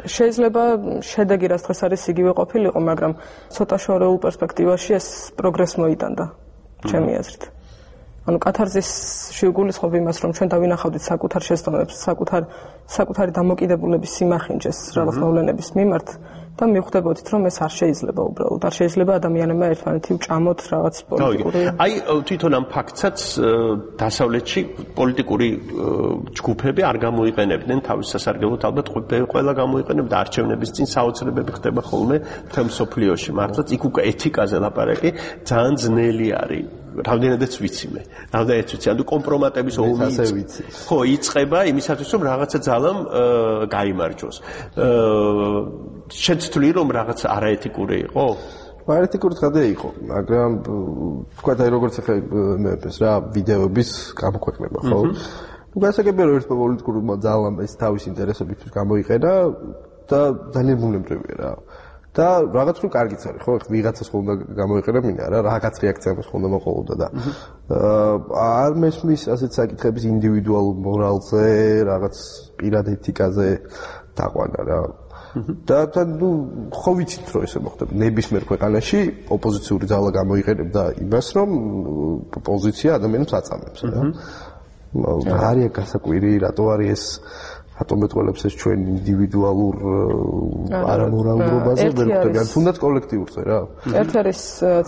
შეიძლება შედეგი რაც დღეს არის იგივე ყოფილიყო, მაგრამ ცოტა შორეულ პერსპექტივაში ეს პროგრესს მოიტანდა, ჩემი აზრით. ანუ კათარზისში ვგულისხმობ იმას, რომ ჩვენ დავინახავდით საკუთარ შეცდომებს, საკუთარი დამოკიდებულების სიმახინჯეს რაღაც მოვლენების მიმართ და მივხვდებოდით, რომ ეს არ შეიძლება უბრალოდ. არ შეიძლება ადამიანებმა ერთმანეთი ვჭამოთ რაღაც პოლიტიკური. აი თვითონ ამ ფაქტსაც დასავლეთში პოლიტიკური ჯგუფები არ გამოიყენებდნენ თავის სასარგებლოდ, ალბათ ყველა გამოიყენებდა არჩევნების წინ საოცრებები ხდება ხოლმე მთელ მსოფლიოში. მართლაც იქ უკვე ეთიკაზე ლაპარაკი ძალიან ძნელი არის. რამდენადაც ვიცი მე. რამდენადაც ვიცი, ანუ კომპრომატების ომი ხო იწყება იმისათვის, რომ რაღაცა ძალამ გაიმარჯვოს. შეცვლი რომ რაღაც არაეთიკური იყო? არაეთიკური ხადა იყო, მაგრამ თქვა და როგორც ახლა მეფეს რა ვიდეოების გამოქვეყნება, ხო? გასაგებია რომ ერთმა პოლიტიკურმა ძალამ ეს თავის ინტერესებისთვის გამოიყენა და ძალიან ბუნებრივია რა. და რაღაც რო კარგიც არის, ხო? ვიღაცას ხონდა გამოიყენა მინდა რა, რაღაც რეაქცია მას ხონდა მოყოლოდა და არ მესმის ასეთ საკითხების ინდივიდუალურ მორალზე, რაღაც პირად ეთიკაზე დაყვანა რა. და ნუ ხო ვიცით რომ ესე მოხდება ნებისმიერ ქვეყანაში ოპოზიციური ძალა გამოიყენებდა იმას რომ პოზიცია ადამიანებს აწამებს რა. არია გასაკვირი რატო არის ეს ატომეტყველებს ეს ჩვენ ინდივიდუალურ არამორალურობაზე ვერ ხვდები ან თუნდაც კოლექტიურზე რა. ერთ არის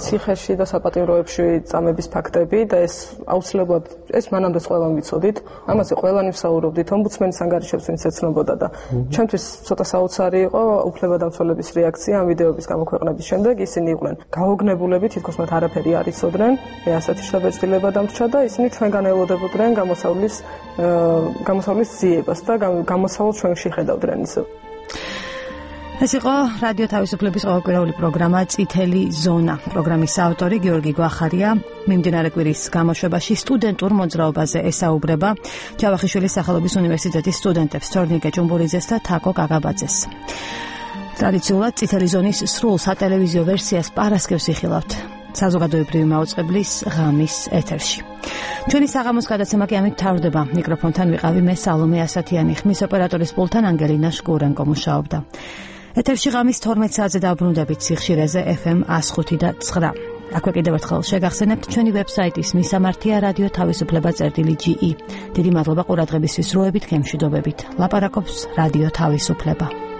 ციხეში და საპატიმროებში წამების ფაქტები და ეს აუცილებლად ეს მანამდეც ყველამ ვიცოდით, ამაზე ყველანი ვსაუბრობდით, ომბუდსმენის ანგარიშებს ვინც ეცნობოდა და ჩემთვის ცოტა საოცარი იყო უფლებადამცველების რეაქცია ამ ვიდეოების გამოქვეყნების შემდეგ. ისინი იყვნენ გაოგნებულები, თითქოს მათ არაფერი არ იცოდნენ, მე ასეთი შთაბეჭდილება დამრჩა და ისინი ჩვენგან ელოდებოდნენ გამოსავლის ძიებას და გამოსავალ ჩვენში ხედავდნენ ისე. ეს იყო რადიო თავისუფლების ყოველკვირეული პროგრამა წითელი ზონა. პროგრამის ავტორი გიორგი გვახარია. მიმდინარე კვირის გამოშვებაში სტუდენტურ მოძრაობაზე ესაუბრება ჯავახიშვილის სახელობის უნივერსიტეტის სტუდენტებს თორნიკე ჭუმბურიძეს და თაკო გაგაბაძეს. ტრადიციულად წითელი ზონის სრულ სატელევიზიო ვერსიას პარასკევს იხილავთ საზოგადოებრივი მაუწყებლის ღამის ეთერში. ჩვენი საღამოს გადაცემა კი ამით მთავრდება. მიკროფონთან ვიყავი მე სალომე ასათიანი, ხმის ოპერატორის პულტთან ანგელინა შკურენკო მუშაობდა. ეთერში ღამის 12 საათზე დაბრუნდებით სიხშირეზე FM 105 და 9. აქვე კიდევ ერთხელ შეგახსენებთ ჩვენი ვებსაიტის მისამართია რადიო თავისუფლება.ge. დიდი მადლობა ყურადღებისთვის, როებით, გემშვიდობებით. ლაპარაკობს რადიო თავისუფლება.